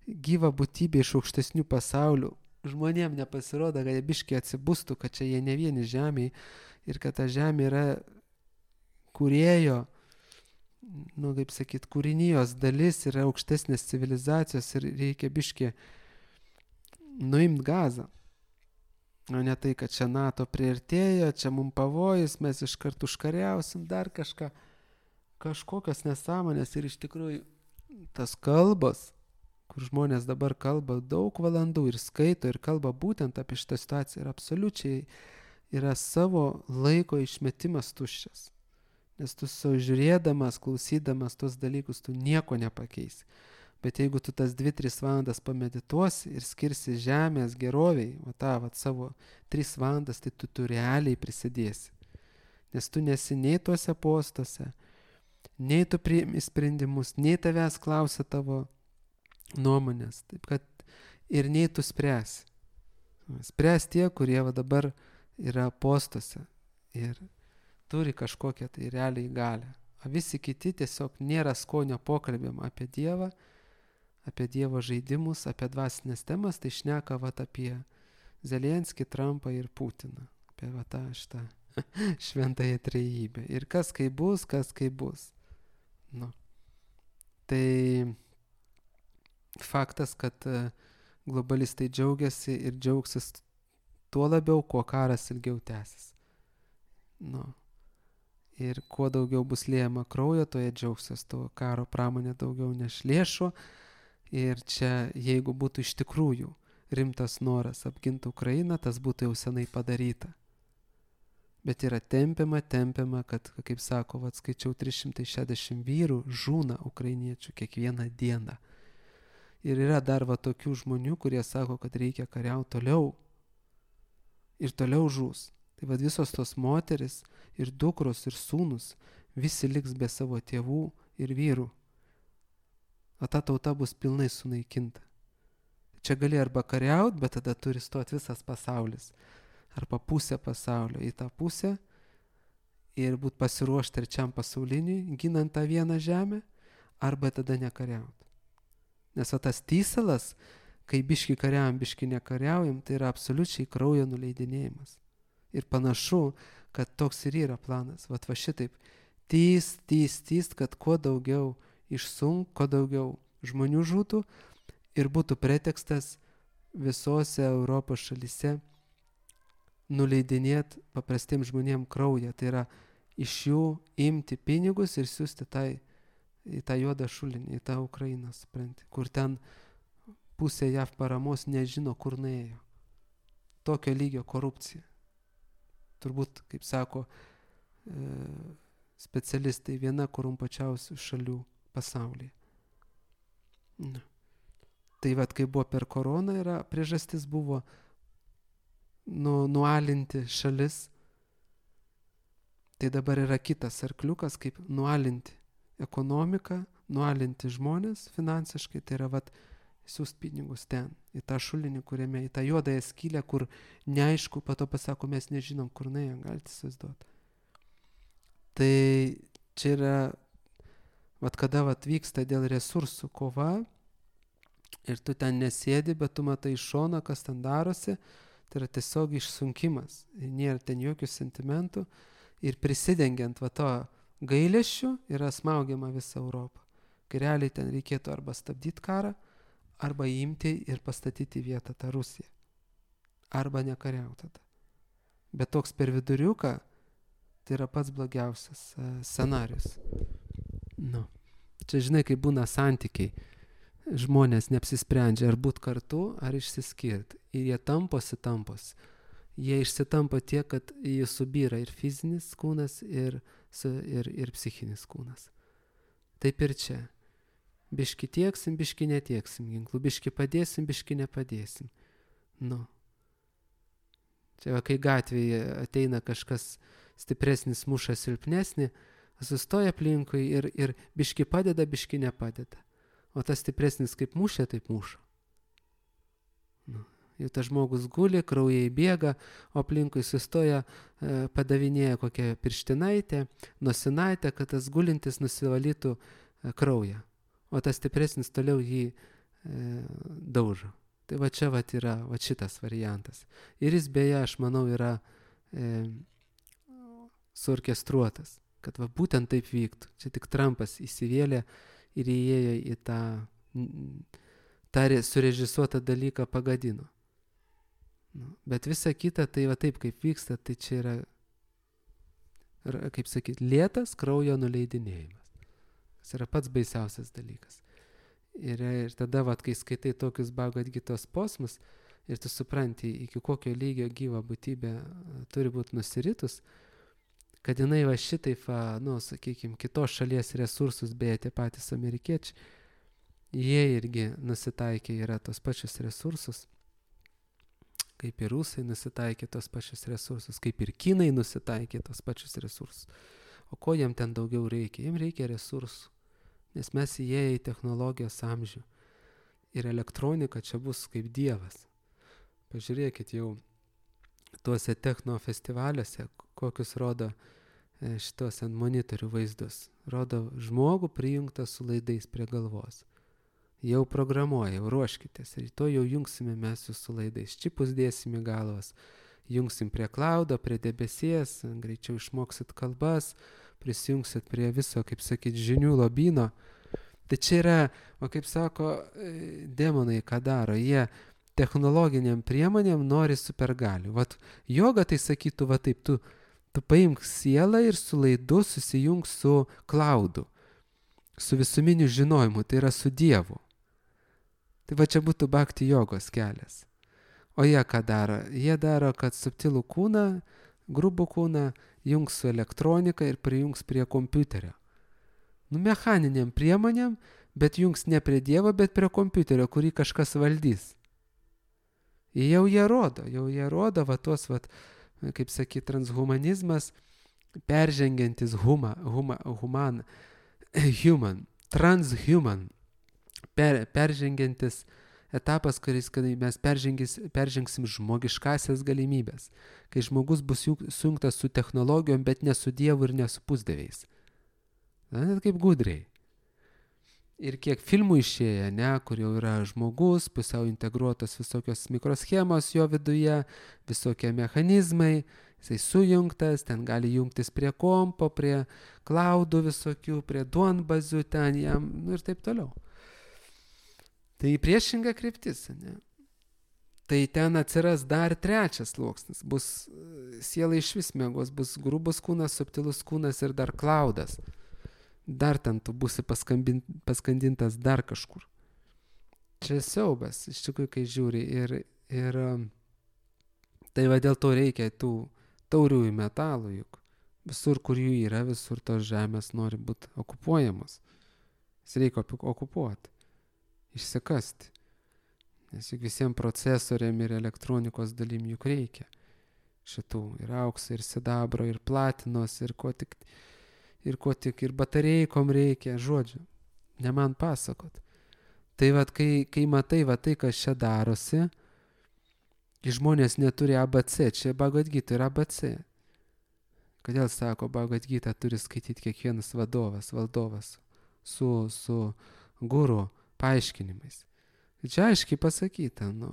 gyva būtybė iš aukštesnių pasaulių. Žmonėm nepasirodo, kad jie biškiai atsibustų, kad čia jie ne vieni žemėje ir kad ta žemė yra kūrėjo, kaip sakyt, kūrinijos dalis, yra aukštesnės civilizacijos ir reikia biškiai nuimt gazą. O ne tai, kad čia NATO priartėjo, čia mums pavojus, mes iškart užkariausim dar kažką. Kažkokios nesąmonės ir iš tikrųjų tas kalbos, kur žmonės dabar kalba daug valandų ir skaito ir kalba būtent apie šitą situaciją ir absoliučiai yra savo laiko išmetimas tuščias. Nes tu žiūrėdamas, klausydamas tos dalykus, tu nieko nepakeisi. Bet jeigu tu tas 2-3 valandas pamedituosi ir skirsi žemės geroviai, savo 3 valandas, tai tu realiai prisidėsi. Nes tu nesi nei tuose postuose, nei tu priimi sprendimus, nei tavęs klausia tavo nuomonės. Taip kad ir nei tu spręsi. Spręs tie, kurie dabar yra postuose ir turi kažkokią tai realiai galią. O visi kiti tiesiog nėra skonio pokalbėm apie Dievą, apie Dievo žaidimus, apie dvasinės temas, tai šneka apie Zelenskį, Trumpą ir Putiną. Apie tą šitą šventąją trejybę. Ir kas kaip bus. Tai faktas, kad globalistai džiaugiasi ir džiaugsis tuo labiau, kuo karas ilgiau tęsis. Ir kuo daugiau bus liejama kraujo, to jie džiaugsis, to karo pramonė daugiau neš lėšų. Ir čia, jeigu būtų iš tikrųjų rimtas noras apginti Ukrainą, tas būtų jau senai padaryta. Bet yra tempiama, kad, kaip sako, skaičiau 360 vyrų žūna ukrainiečių kiekvieną dieną. Ir yra dar tokių žmonių, kurie sako, kad reikia kariauti toliau. Ir toliau žūs. Tai visos tos moteris ir dukros ir sūnus visi liks be savo tėvų ir vyrų. O ta tauta bus pilnai sunaikinta. Čia gali arba kariauti, bet tada turi stoti visas pasaulis. Arba pusė pasaulio į tą pusę ir būti pasiruošti trečiam pasauliniui, ginant tą vieną žemę, arba tada nekariauti. Nes tas tysalas, kai biški kariaujam, biški nekariaujam, tai yra absoliučiai kraujo nuleidinėjimas. Ir panašu, kad toks ir yra planas. Šitaip tyst, kad kuo daugiau išsunk, kuo daugiau žmonių žūtų ir būtų pretekstas visose Europos šalyse nuleidinėti paprastiems žmonėms kraują. Tai yra iš jų imti pinigus ir siūsti į tą juodą šulinį, į tą Ukrainą, supranti, kur ten pusė JAV paramos nežino, kur nuėjo. Tokio lygio korupcija. Turbūt, kaip sako specialistai, viena korumpuočiausių šalių pasaulyje. Tai kai buvo per koroną, priežastis buvo nualinti šalis. Tai dabar yra kitas arkliukas, kaip nualinti ekonomiką, nualinti žmonės finansiškai. Tai yra siūst pinigus ten, į tą šulinį, kuriame, į tą juodąją skylę, kur neaišku, po to pasako, mes nežinom, kur nuėjo, galite įsivaizduoti. Tai čia yra, kada vyksta dėl resursų kova ir tu ten nesėdi, bet tu matai iš šono, kas ten darosi, Tai yra tiesiog išsunkimas. Nėra ten jokių sentimentų. Ir prisidengiant va to gailesčiu yra smaugiama visa Europa. Kai realiai ten reikėtų arba stabdyti karą, arba imti ir pastatyti vietą tą Rusiją. Arba nekariauti tada. Bet toks per viduriuką, tai yra pats blogiausias scenarius. Nu. Čia žinai, kai būna santykiai, žmonės neapsisprendžia ar būt kartu, ar išsiskirti. Ir jie tamposi. Jie išsitampo tiek, kad jie subyra ir fizinis kūnas, ir psichinis kūnas. Taip ir čia. Biški tieksim, biški netieksim ginklų, biški padėsim, biški nepadėsim. Nu. Čia va, kai gatvėje ateina kažkas stipresnis, muša silpnesnį, sustoja aplinkui ir biški padeda, biški nepadeda. O tas stipresnis kaip mušė, taip muša. Nu. Jau tas žmogus guli, kraujai bėga, o aplinkui sustoja, padavinėja kokią pirštinaitę, nosinaitę, kad tas gulintis nusivalytų kraują. O tas stipresnis toliau jį daužo. Tai va čia va yra va šitas variantas. Ir jis beje, aš manau, yra suorkestruotas, kad va būtent taip vyktų. Čia tik Trumpas įsivėlė ir įėjo į tą surežisuotą dalyką pagadino. Nu, bet visa kita, tai va taip kaip vyksta, tai čia yra, kaip sakyti, lėtas kraujo nuleidinėjimas. Tas yra pats baisiausias dalykas. Ir tada, va, kai skaitai tokius Bhagavad Gitos posmus ir tu supranti, iki kokio lygio gyva būtybė turi būti nusiritus, kad jinai va šitaip, nu, sakykime, kitos šalies resursus, beje, tie patys amerikiečiai, jie irgi nusitaikė yra tos pačius resursus, kaip ir rusai nusitaikė tos pačius resursus, kaip ir kinai nusitaikė tos pačius resursus. O ko jiem ten daugiau reikia? Jiem reikia resursų, nes mes įėję į technologijos amžių. Ir elektronika čia bus kaip dievas. Pažiūrėkit jau tuose techno festivaliuose, kokius rodo šitos ant monitorių vaizdus. Rodo žmogų prijungtą su laidais prie galvos. Jau programuoja, jau ruoškitės. Rytoj jau jungsime mes jūsų laidais. Čipus dėsime galvas. Jungsim prie klaudo, prie debesies, greičiau išmoksit kalbas, prisijungsit prie viso, kaip sakyt, žinių lobyno. Tai čia yra, o kaip sako, demonai ką daro, jie technologiniam priemonėm nori supergalių. Vat joga tai sakytų, va taip, tu paimk sielą ir su laidu susijung su klaudu, su visuminiu žinojimu, tai yra su Dievu. Tai va čia būtų bhakti jogos kelias. O jie ką daro? Jie daro, kad subtilų kūną, grubų kūną jungs su elektronika ir prijungs prie kompiuterio. Nu, mechaniniam priemonėm, bet jungs ne prie Dievo, bet prie kompiuterio, kurį kažkas valdys. Jau jie rodo, va tos, va, kaip sakyt, transhumanizmas, peržengiantis transhuman, peržengiantis etapas, kai mes peržengsim žmogiškasias galimybės, kai žmogus bus sujungtas su technologijom, bet ne su Dievu ir ne su pusdieviais. Na, net kaip gudriai. Ir kiek filmų išėję, ne, kur jau yra žmogus, pusiau integruotos visokios mikroschemos jo viduje, visokie mechanizmai, jisai sujungtas, ten gali jungtis prie kompo, prie klaudų visokių, prie duonbazių ten jam, nu ir taip toliau. Tai priešinga kryptis, ne? Tai ten atsiras dar trečias sluoksnis, bus siela iš vis miegos, bus grubus kūnas, subtilus kūnas ir dar klaudas. Dar ten tu būsi paskandintas dar kažkur. Čia siaubas, iš tikrųjų, kai žiūri. Ir tai va dėl to reikia tų tauriųjų metalų, juk visur, kur jų yra, visur tos žemės nori būti okupuojamos. Jas reikia okupuoti, išsikasti. Nes juk visiems procesoriam ir elektronikos dalim juk reikia. Šitų ir aukso, ir sidabro, ir platinos, ir ko tik, ir batareikom reikia, žodžiu, ne man pasakot. Tai vat, kai matai va tai, kas čia darosi, žmonės neturi ABC, čia Bhagavad Gita yra ABC. Kodėl sako, Bhagavad Gita turi skaityti kiekvienas valdovas su guru paaiškinimais. Čia aiškiai pasakyta, nu.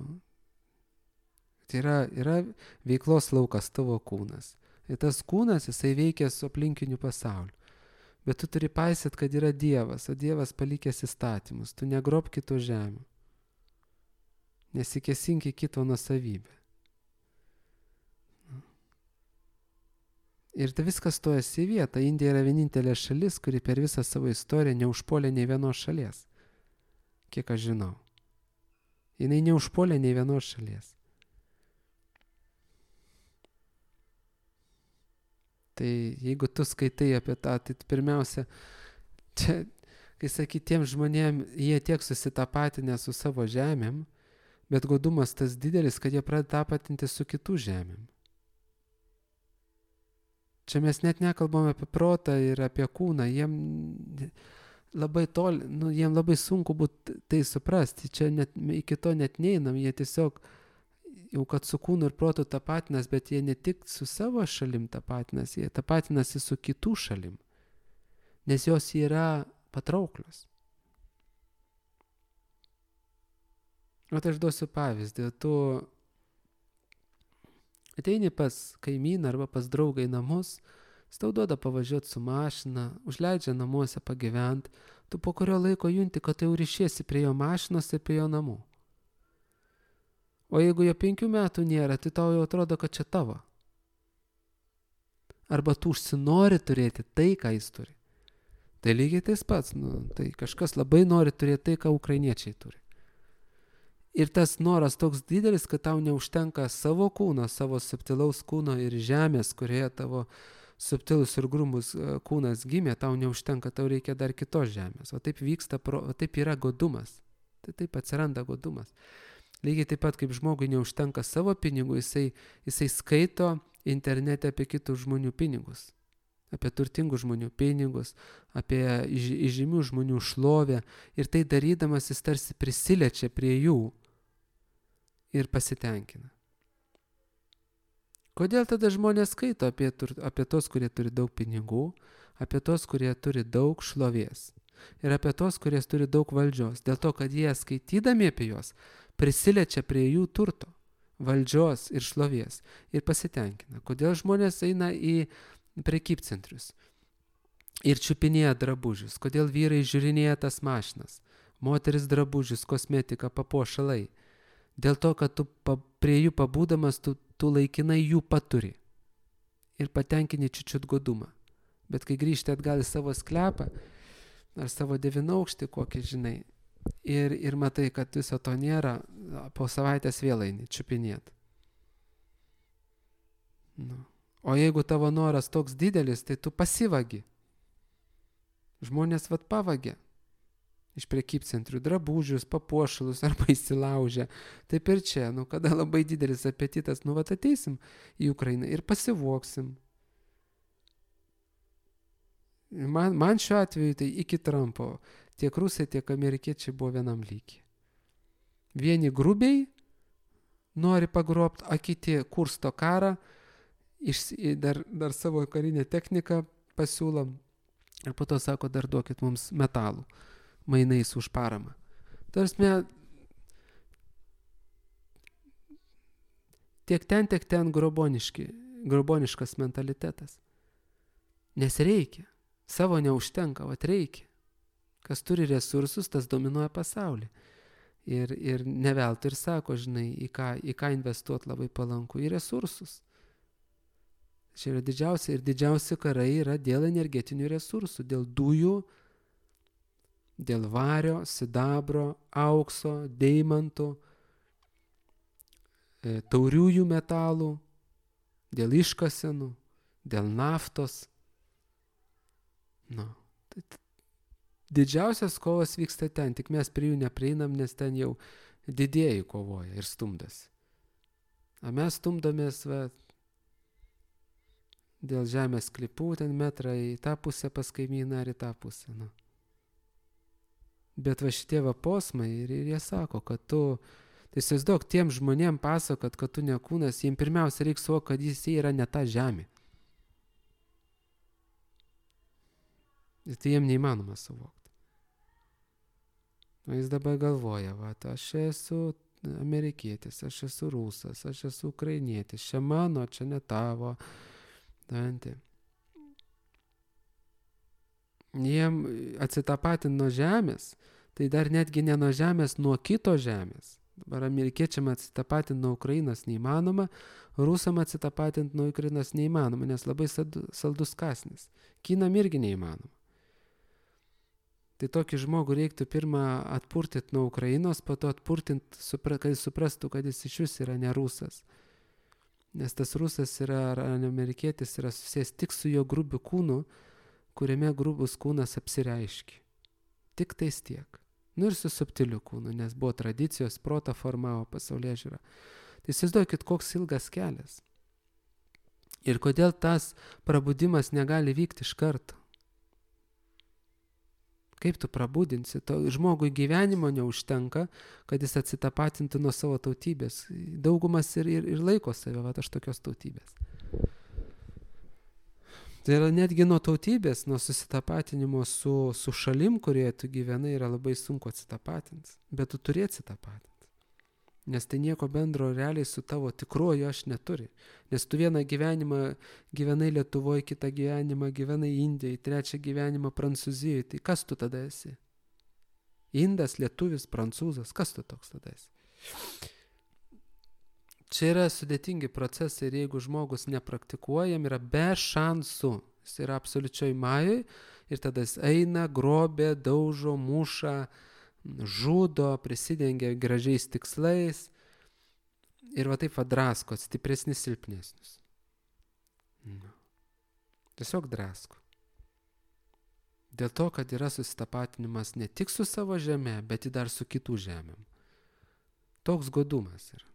Tai yra veiklos laukas tavo kūnas. Ir tas kūnas, jisai veikia su aplinkiniu pasauliu. Bet tu turi paisyti, kad yra Dievas, o Dievas palikęs įstatymus. Tu negrob kito žemių. Nesikėsink į kito nuosavybę. Ir tai viskas stojasi į vietą. Indija yra vienintelė šalis, kuri per visą savo istoriją neužpuolė nei vienos šalies. Kiek aš žinau. Jinai neužpuolė nei vienos šalies. Tai jeigu tu skaitai apie tą, tai pirmiausia, čia, kai sakai, tiem žmonėm, jie tiek susitapatinę su savo žemėm, bet godumas tas didelis, kad jie pradeda tapatinti su kitų žemėm. Čia mes net nekalbame apie protą ir apie kūną, jiem labai toli, jiem labai sunku būtų tai suprasti, čia net, iki to net neinam, jie tiesiog jau kad su kūnu ir protu tapatinas, bet jie ne tik su savo šalim tapatinas, jie tapatinasi su kitų šalim, nes jos yra patrauklios. O tai aš duosiu pavyzdį, tu ateini pas kaimyną arba pas draugą į namus, jis tau duoda pavažiuoti su mašina, užleidžia namuose pagyvent, tu po kurio laiko junti, kad tai jau ryšiesi prie jo mašinos ir prie jo namų. O jeigu jo 5 metų nėra, tai tau jau atrodo, kad čia tavo. Arba tu užsinori turėti tai, ką jis turi. Tai lygiai tais pats, tai kažkas labai nori turėti tai, ką ukrainiečiai turi. Ir tas noras toks didelis, kad tau neužtenka savo kūno, savo subtilaus kūno ir žemės, kurioje tavo subtilus ir grumus kūnas gimė, tau neužtenka, tau reikia dar kitos žemės. O taip vyksta, taip yra godumas. Tai taip atsiranda godumas. Lygiai taip pat, kaip žmogui neužtenka savo pinigų, jisai skaito internete apie kitų žmonių pinigus. Apie turtingų žmonių pinigus, apie įžymių žmonių šlovę. Ir tai darydamas jis tarsi prisiliečia prie jų ir pasitenkina. Kodėl tada žmonės skaito apie tos, kurie turi daug pinigų, apie tos, kurie turi daug šlovės ir apie tos, kurie turi daug valdžios? Dėl to, kad jie skaitydami apie juos prisiliečia prie jų turto, valdžios ir šlovės ir pasitenkina. Kodėl žmonės eina į prekybcentrius ir čiupinėja drabužius? Kodėl vyrai žiūrinėja tas mašinas, moteris drabužius, kosmetika, papuošalai? Dėl to, kad tu prie jų pabūdamas, tu laikinai jų paturi ir patenkini čiučiut godumą. Bet kai grįžti atgal į savo sklepą ar savo 9-aukštį kokį, žinai, ir matai, kad viso to nėra, po savaitės vėl eini čiupinėt. O jeigu tavo noras toks didelis, tai tu pasivagi. Žmonės pavagia iš prekybcentrių drabužius, papuošalus arba įsilaužia. Taip ir čia, kada labai didelis apetitas, ateisim į Ukrainą ir pasivoksim. Man šiuo atveju tai iki Trumpo tiek rusai, tiek amerikiečiai buvo vienam lygiai. Vieni grubiai nori pagrobti, o kiti kursto karą, dar savo karinę techniką pasiūlom ir po to sako, dar duokit mums metalų mainais už paramą. Tarsi, tiek ten groboniškas mentalitetas. Nes reikia. Savo neužtenka, reikia. Kas turi resursus, tas dominuoja pasaulį. Ir neveltui ir sako, žinai, į ką investuoti labai palanku, į resursus. Čia yra didžiausi karai yra dėl energetinių resursų, dėl dujų, dėl vario, sidabro, aukso, deimantų, tauriųjų metalų, dėl iškasenų, dėl naftos. Didžiausias kovas vyksta ten, tik mes prie jų neprieinam, nes ten jau didieji kovoja ir stumdasi. O mes stumdomės dėl žemės klipų, ten metrą į tą pusę pas kaimyną ar į tą pusę. Bet šitie posmai ir jie sako, kad tu, tai įsivaizduok, tiem žmonėm pasakot, kad tu ne kūnas, jiems pirmiausia reikia suvokti, kad jis yra ne ta žemė. Ir tai jiems neįmanoma suvokti. O jis dabar galvoja, aš esu amerikietis, aš esu rusas, aš esu ukrainietis, čia mano, čia ne tavo. Jiem atsitapatinti nuo žemės, tai dar netgi ne nuo žemės, nuo kito žemės. Dabar amerikiečiam atsitapatinti nuo Ukrainos neįmanoma, rusam atsitapatinti nuo Ukrainos neįmanoma, nes labai saldus kąsnis. Kinam irgi neįmanoma. Tai tokį žmogų reiktų pirmą atpurtyti nuo Ukrainos, po to atpurtinti, kad jis suprastų, kad jis iš vis yra ne rusas. Nes tas rusas yra, ar amerikietis yra susijęs tik su jo grubiu kūnu, kuriame grubus kūnas apsireiškia. Tik tais tiek. Nu ir su subtiliu kūnu, nes buvo tradicijos, protą formavo pasaulėžiūrą. Tai įsivaizduokit, koks ilgas kelias. Ir kodėl tas prabudimas negali vykti iš karto. Kaip tu prabudinsi? Žmogui gyvenimo neužtenka, kad jis atsitapatintų nuo savo tautybės. Daugumas ir laiko save, va, aš tokios tautybės. Tai yra netgi nuo tautybės, nuo susitapatinimo su šalim, kurioje tu gyvenai, yra labai sunku atsitapatinti. Bet tu turi atsitapatinti. Nes tai nieko bendro realiai su tavo tikruoju aš neturi. Nes tu vieną gyvenimą gyvenai Lietuvoje, kitą gyvenimą gyvenai Indijoje, trečią gyvenimą Prancūzijoje. Tai kas tu tada esi? Indas, lietuvis, prancūzas. Kas tu toks tada esi? Čia yra sudėtingi procesai ir jeigu žmogus nepraktikuojam, yra be šansų. Jis yra absoliučioj majoj ir tada jis eina, grobė, daužo, muša, žudo, prisidengia gražiais tikslais ir va taip drasko, stipresnis silpnesnis. Tiesiog drasko. Dėl to, kad yra susitapatinimas ne tik su savo žeme, bet ir dar su kitų žemėm. Toks godumas yra.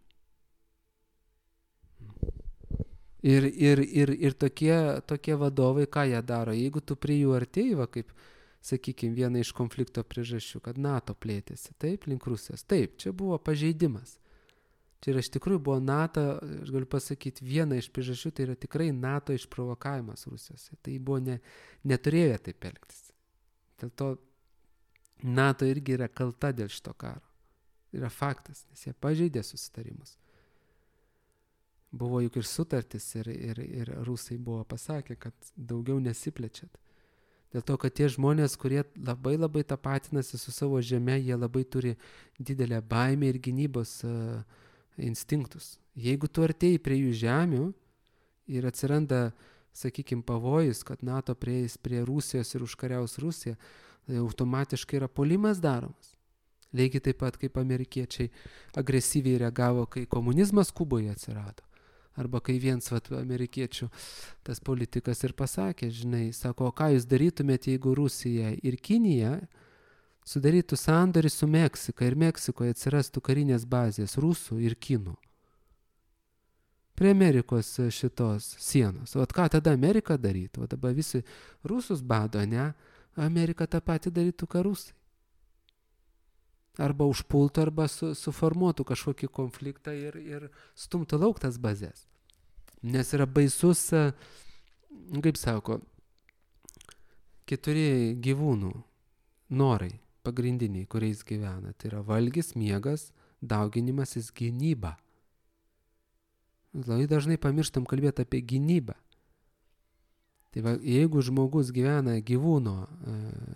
Ir tokie vadovai, ką jie daro, jeigu tu prie jų artėjai, va kaip, sakykime, viena iš konflikto priežasčių, kad NATO plėtėsi, taip, link Rusijos. Taip, čia buvo pažeidimas. Čia iš tikrųjų buvo NATO, aš galiu pasakyti, viena iš priežasčių, tai yra tikrai NATO išprovokavimas Rusijos. Tai buvo neturėjo taip elgtis. Dėl to NATO irgi yra kalta dėl šito karo. Yra faktas, nes jie pažeidė susitarimus. Buvo juk ir sutartis ir rusai buvo pasakę, kad daugiau nesiplečiat. Dėl to, kad tie žmonės, kurie labai labai tapatinasi su savo žeme, jie labai turi didelę baimę ir gynybos instinktus. Jeigu tu artėjai prie jų žemių ir atsiranda, sakykime, pavojus, kad NATO prieis prie Rusijos ir užkariaus Rusiją, tai automatiškai yra puolimas daromas. Lygiai taip pat, kaip amerikiečiai agresyviai reagavo, kai komunizmas Kuboje atsirado. Arba kai viens amerikiečių tas politikas ir pasakė, žinai, sako, o ką jūs darytumėte, jeigu Rusija ir Kinija sudarytų sandorį su Meksika ir Meksikoje atsirastų karinės bazės rusų ir kinų prie Amerikos šitos sienos. O ką tada Amerika darytų? O dabar visi rusus bado, ne? Amerika tą patį darytų, ką rusai. Arba užpultų, arba suformuotų kažkokį konfliktą ir stumtų lauk tas bazės. Nes yra baisus, kaip sako, 4 gyvūnų norai pagrindiniai, kuriais gyvena. Tai yra valgis, miegas, dauginimasis, gynyba. Labai dažnai pamirštam kalbėti apie gynybą. Tai va, jeigu žmogus gyvena gyvūno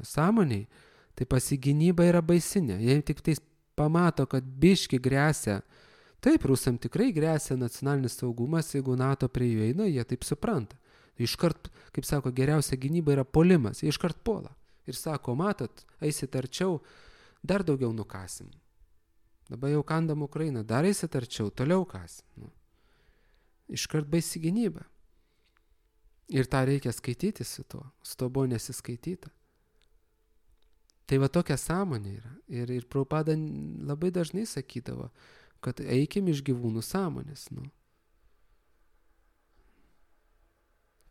sąmoniai, tai pasigynyba yra baisinė. Jei tik tais pamato, kad biški gresia, taip, rusam tikrai gresia nacionalinis saugumas, jeigu NATO prie jų eina, jie taip supranta. Iškart, kaip sako, geriausia gynyba yra puolimas, jie iškart puola. Ir sako, matot, eisit arčiau, dar daugiau nukasim. Dabar jau kandam Ukrainą, dar eisit arčiau, toliau kasim. Iškart baisi gynyba. Ir tą reikia skaityti su to buvo nesiskaityta. Tai va tokia sąmonė yra. Ir Prabhupada labai dažnai sakydavo, kad eikim iš gyvūnų sąmonės.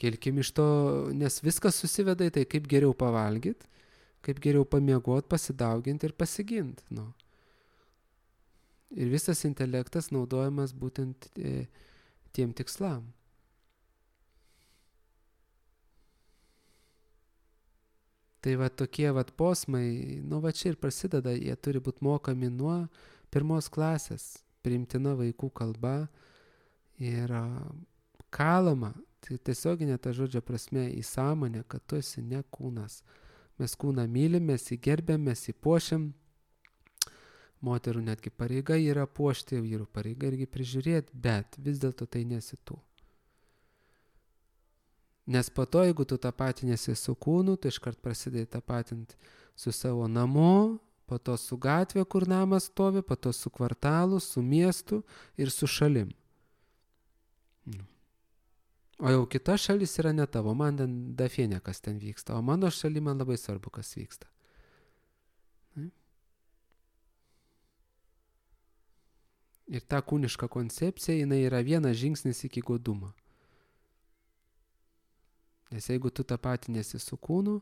Kelkim iš to, nes viskas susiveda į tai, kaip geriau pavalgyti, kaip geriau pamiegoti, pasidauginti ir pasiginti. Ir visas intelektas naudojamas būtent tiem tikslam. Tai va tokie posmai, va čia ir prasideda, jie turi būti mokami nuo 1 klasės priimtina vaikų kalba ir kalama, tai tiesioginė ta žodžio prasme į sąmonę, kad tu esi ne kūnas. Mes kūną mylim, mes jį gerbėm, mes jį puošiam. Moterų netgi pareiga yra puošti, vyrų pareiga irgi prižiūrėti, bet vis dėlto tai nesi tu. Nes po to, jeigu tu tapatinėsi su kūnu, tai iškart prasidėjai tapatinti su savo namu, po to su gatvė, kur namas stovi, po to su kvartalu, su miestu ir su šalim. O jau kita šalis yra ne tavo, man ten dafienė, kas ten vyksta, o mano šaly man labai svarbu, kas vyksta. Ir ta kūniška koncepcija, jinai yra vienas žingsnis iki godumo. Nes jeigu tu tapatinėsi su kūnu,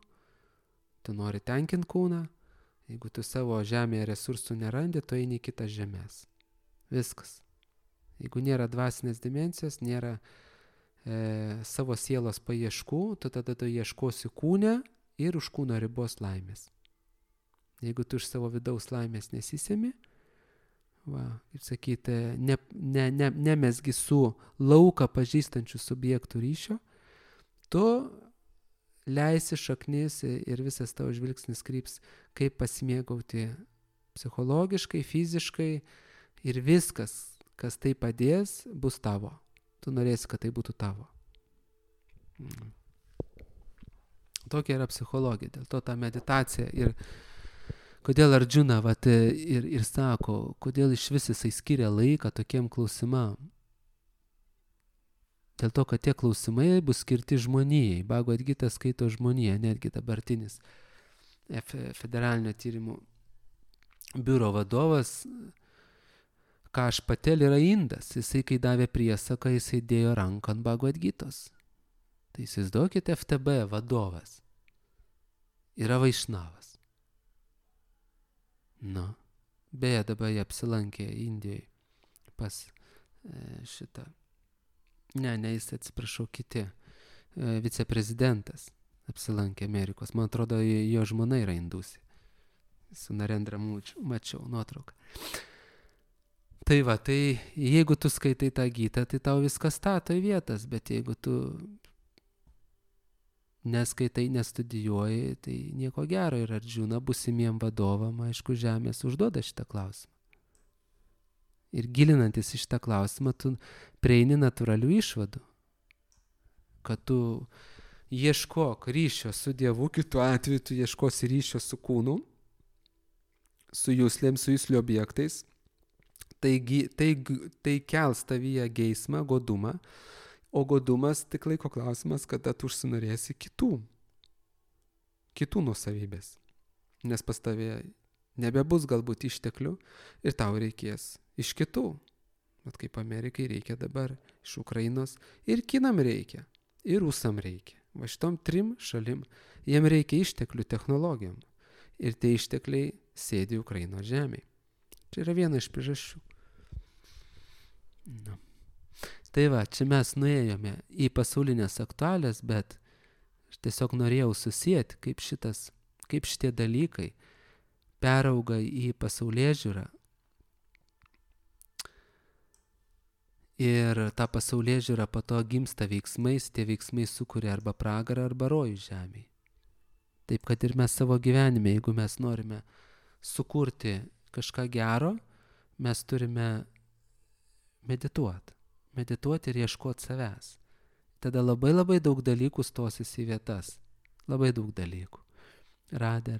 tu nori tenkinti kūną, jeigu tu savo žemėje resursų nerandi, tu eini į kitas žemės. Viskas. Jeigu nėra dvasinės dimensijos, nėra savo sielos paieškų, tu tada tu ieškosi kūne ir už kūno ribos laimės. Jeigu tu iš savo vidaus laimės nesisemi, kaip sakyti, nemesgi su lauką pažįstančių subjektų ryšio, tu leisi šaknis ir visas tavo žvilgsnis kryps, kaip pasimėgauti psichologiškai, fiziškai ir viskas, kas tai padės, bus tavo. Tu norėsi, kad tai būtų tavo. Tokia yra psichologija, dėl to ta meditacija ir kodėl Arjuna ir sako, kodėl iš vis jisai skiria laiką tokiem klausimam. Dėl to, kad tie klausimai bus skirti žmonijai. Bhagavad Gita skaito žmoniją, netgi dabartinis federalinio tyrimų biuro vadovas Kaš Patel yra indas. Jisai, kai davė priesaką, jisai dėjo ranką ant Bhagavad Gitos. Tai įsivaizduokite, FTB vadovas yra vaišnavas. Beje, dabar jie apsilankė Indijoje pas šitą. Ne, jis atsiprašau, kiti. Viceprezidentas apsilankė Amerikos. Man atrodo, jo žmona yra indusė. Su Narendra mačiau nuotrauką. Tai jeigu tu skaitai tą gytą, tai tau viskas stato į vietas, bet jeigu tu neskaitai, nestudijuoji, tai nieko gero. Ir Arjuna būsimiem vadovam, aišku, žemės užduoda šitą klausimą. Ir gilinantis į šitą klausimą, tu prieini natūralių išvadų. Kad tu ieškok ryšio su Dievu, kitu atveju tu ieškosi ryšio su kūnu, su juslėm, su juslių objektais. Tai kels tavyje geismą, godumą, o godumas tik laiko klausimas, kada tu užsinorėsi kitų nuosavybės. Nes pas tavė nebebus galbūt išteklių ir tau reikės iš kitų. Bet kaip Amerikai reikia dabar iš Ukrainos ir kinam reikia, ir rusam reikia. Va šitom 3 šalim jiem reikia išteklių technologijom. Ir tie ištekliai sėdi Ukrainos žemėje. Čia yra viena iš priežasčių. Tai čia mes nuėjome į pasaulinės aktualijas, bet aš tiesiog norėjau susijęti, kaip šitie dalykai perauga į pasaulėžiūrą. Ir ta pasaulėžiūra po to gimsta veiksmais, tie veiksmai sukuria arba pragarą, arba rojų žemėje. Taip, kad ir mes savo gyvenime, jeigu mes norime sukurti kažką gero, mes turime medituoti ir ieškoti savęs. Tada labai daug dalykų stosis į vietas. Labai daug dalykų. Radė.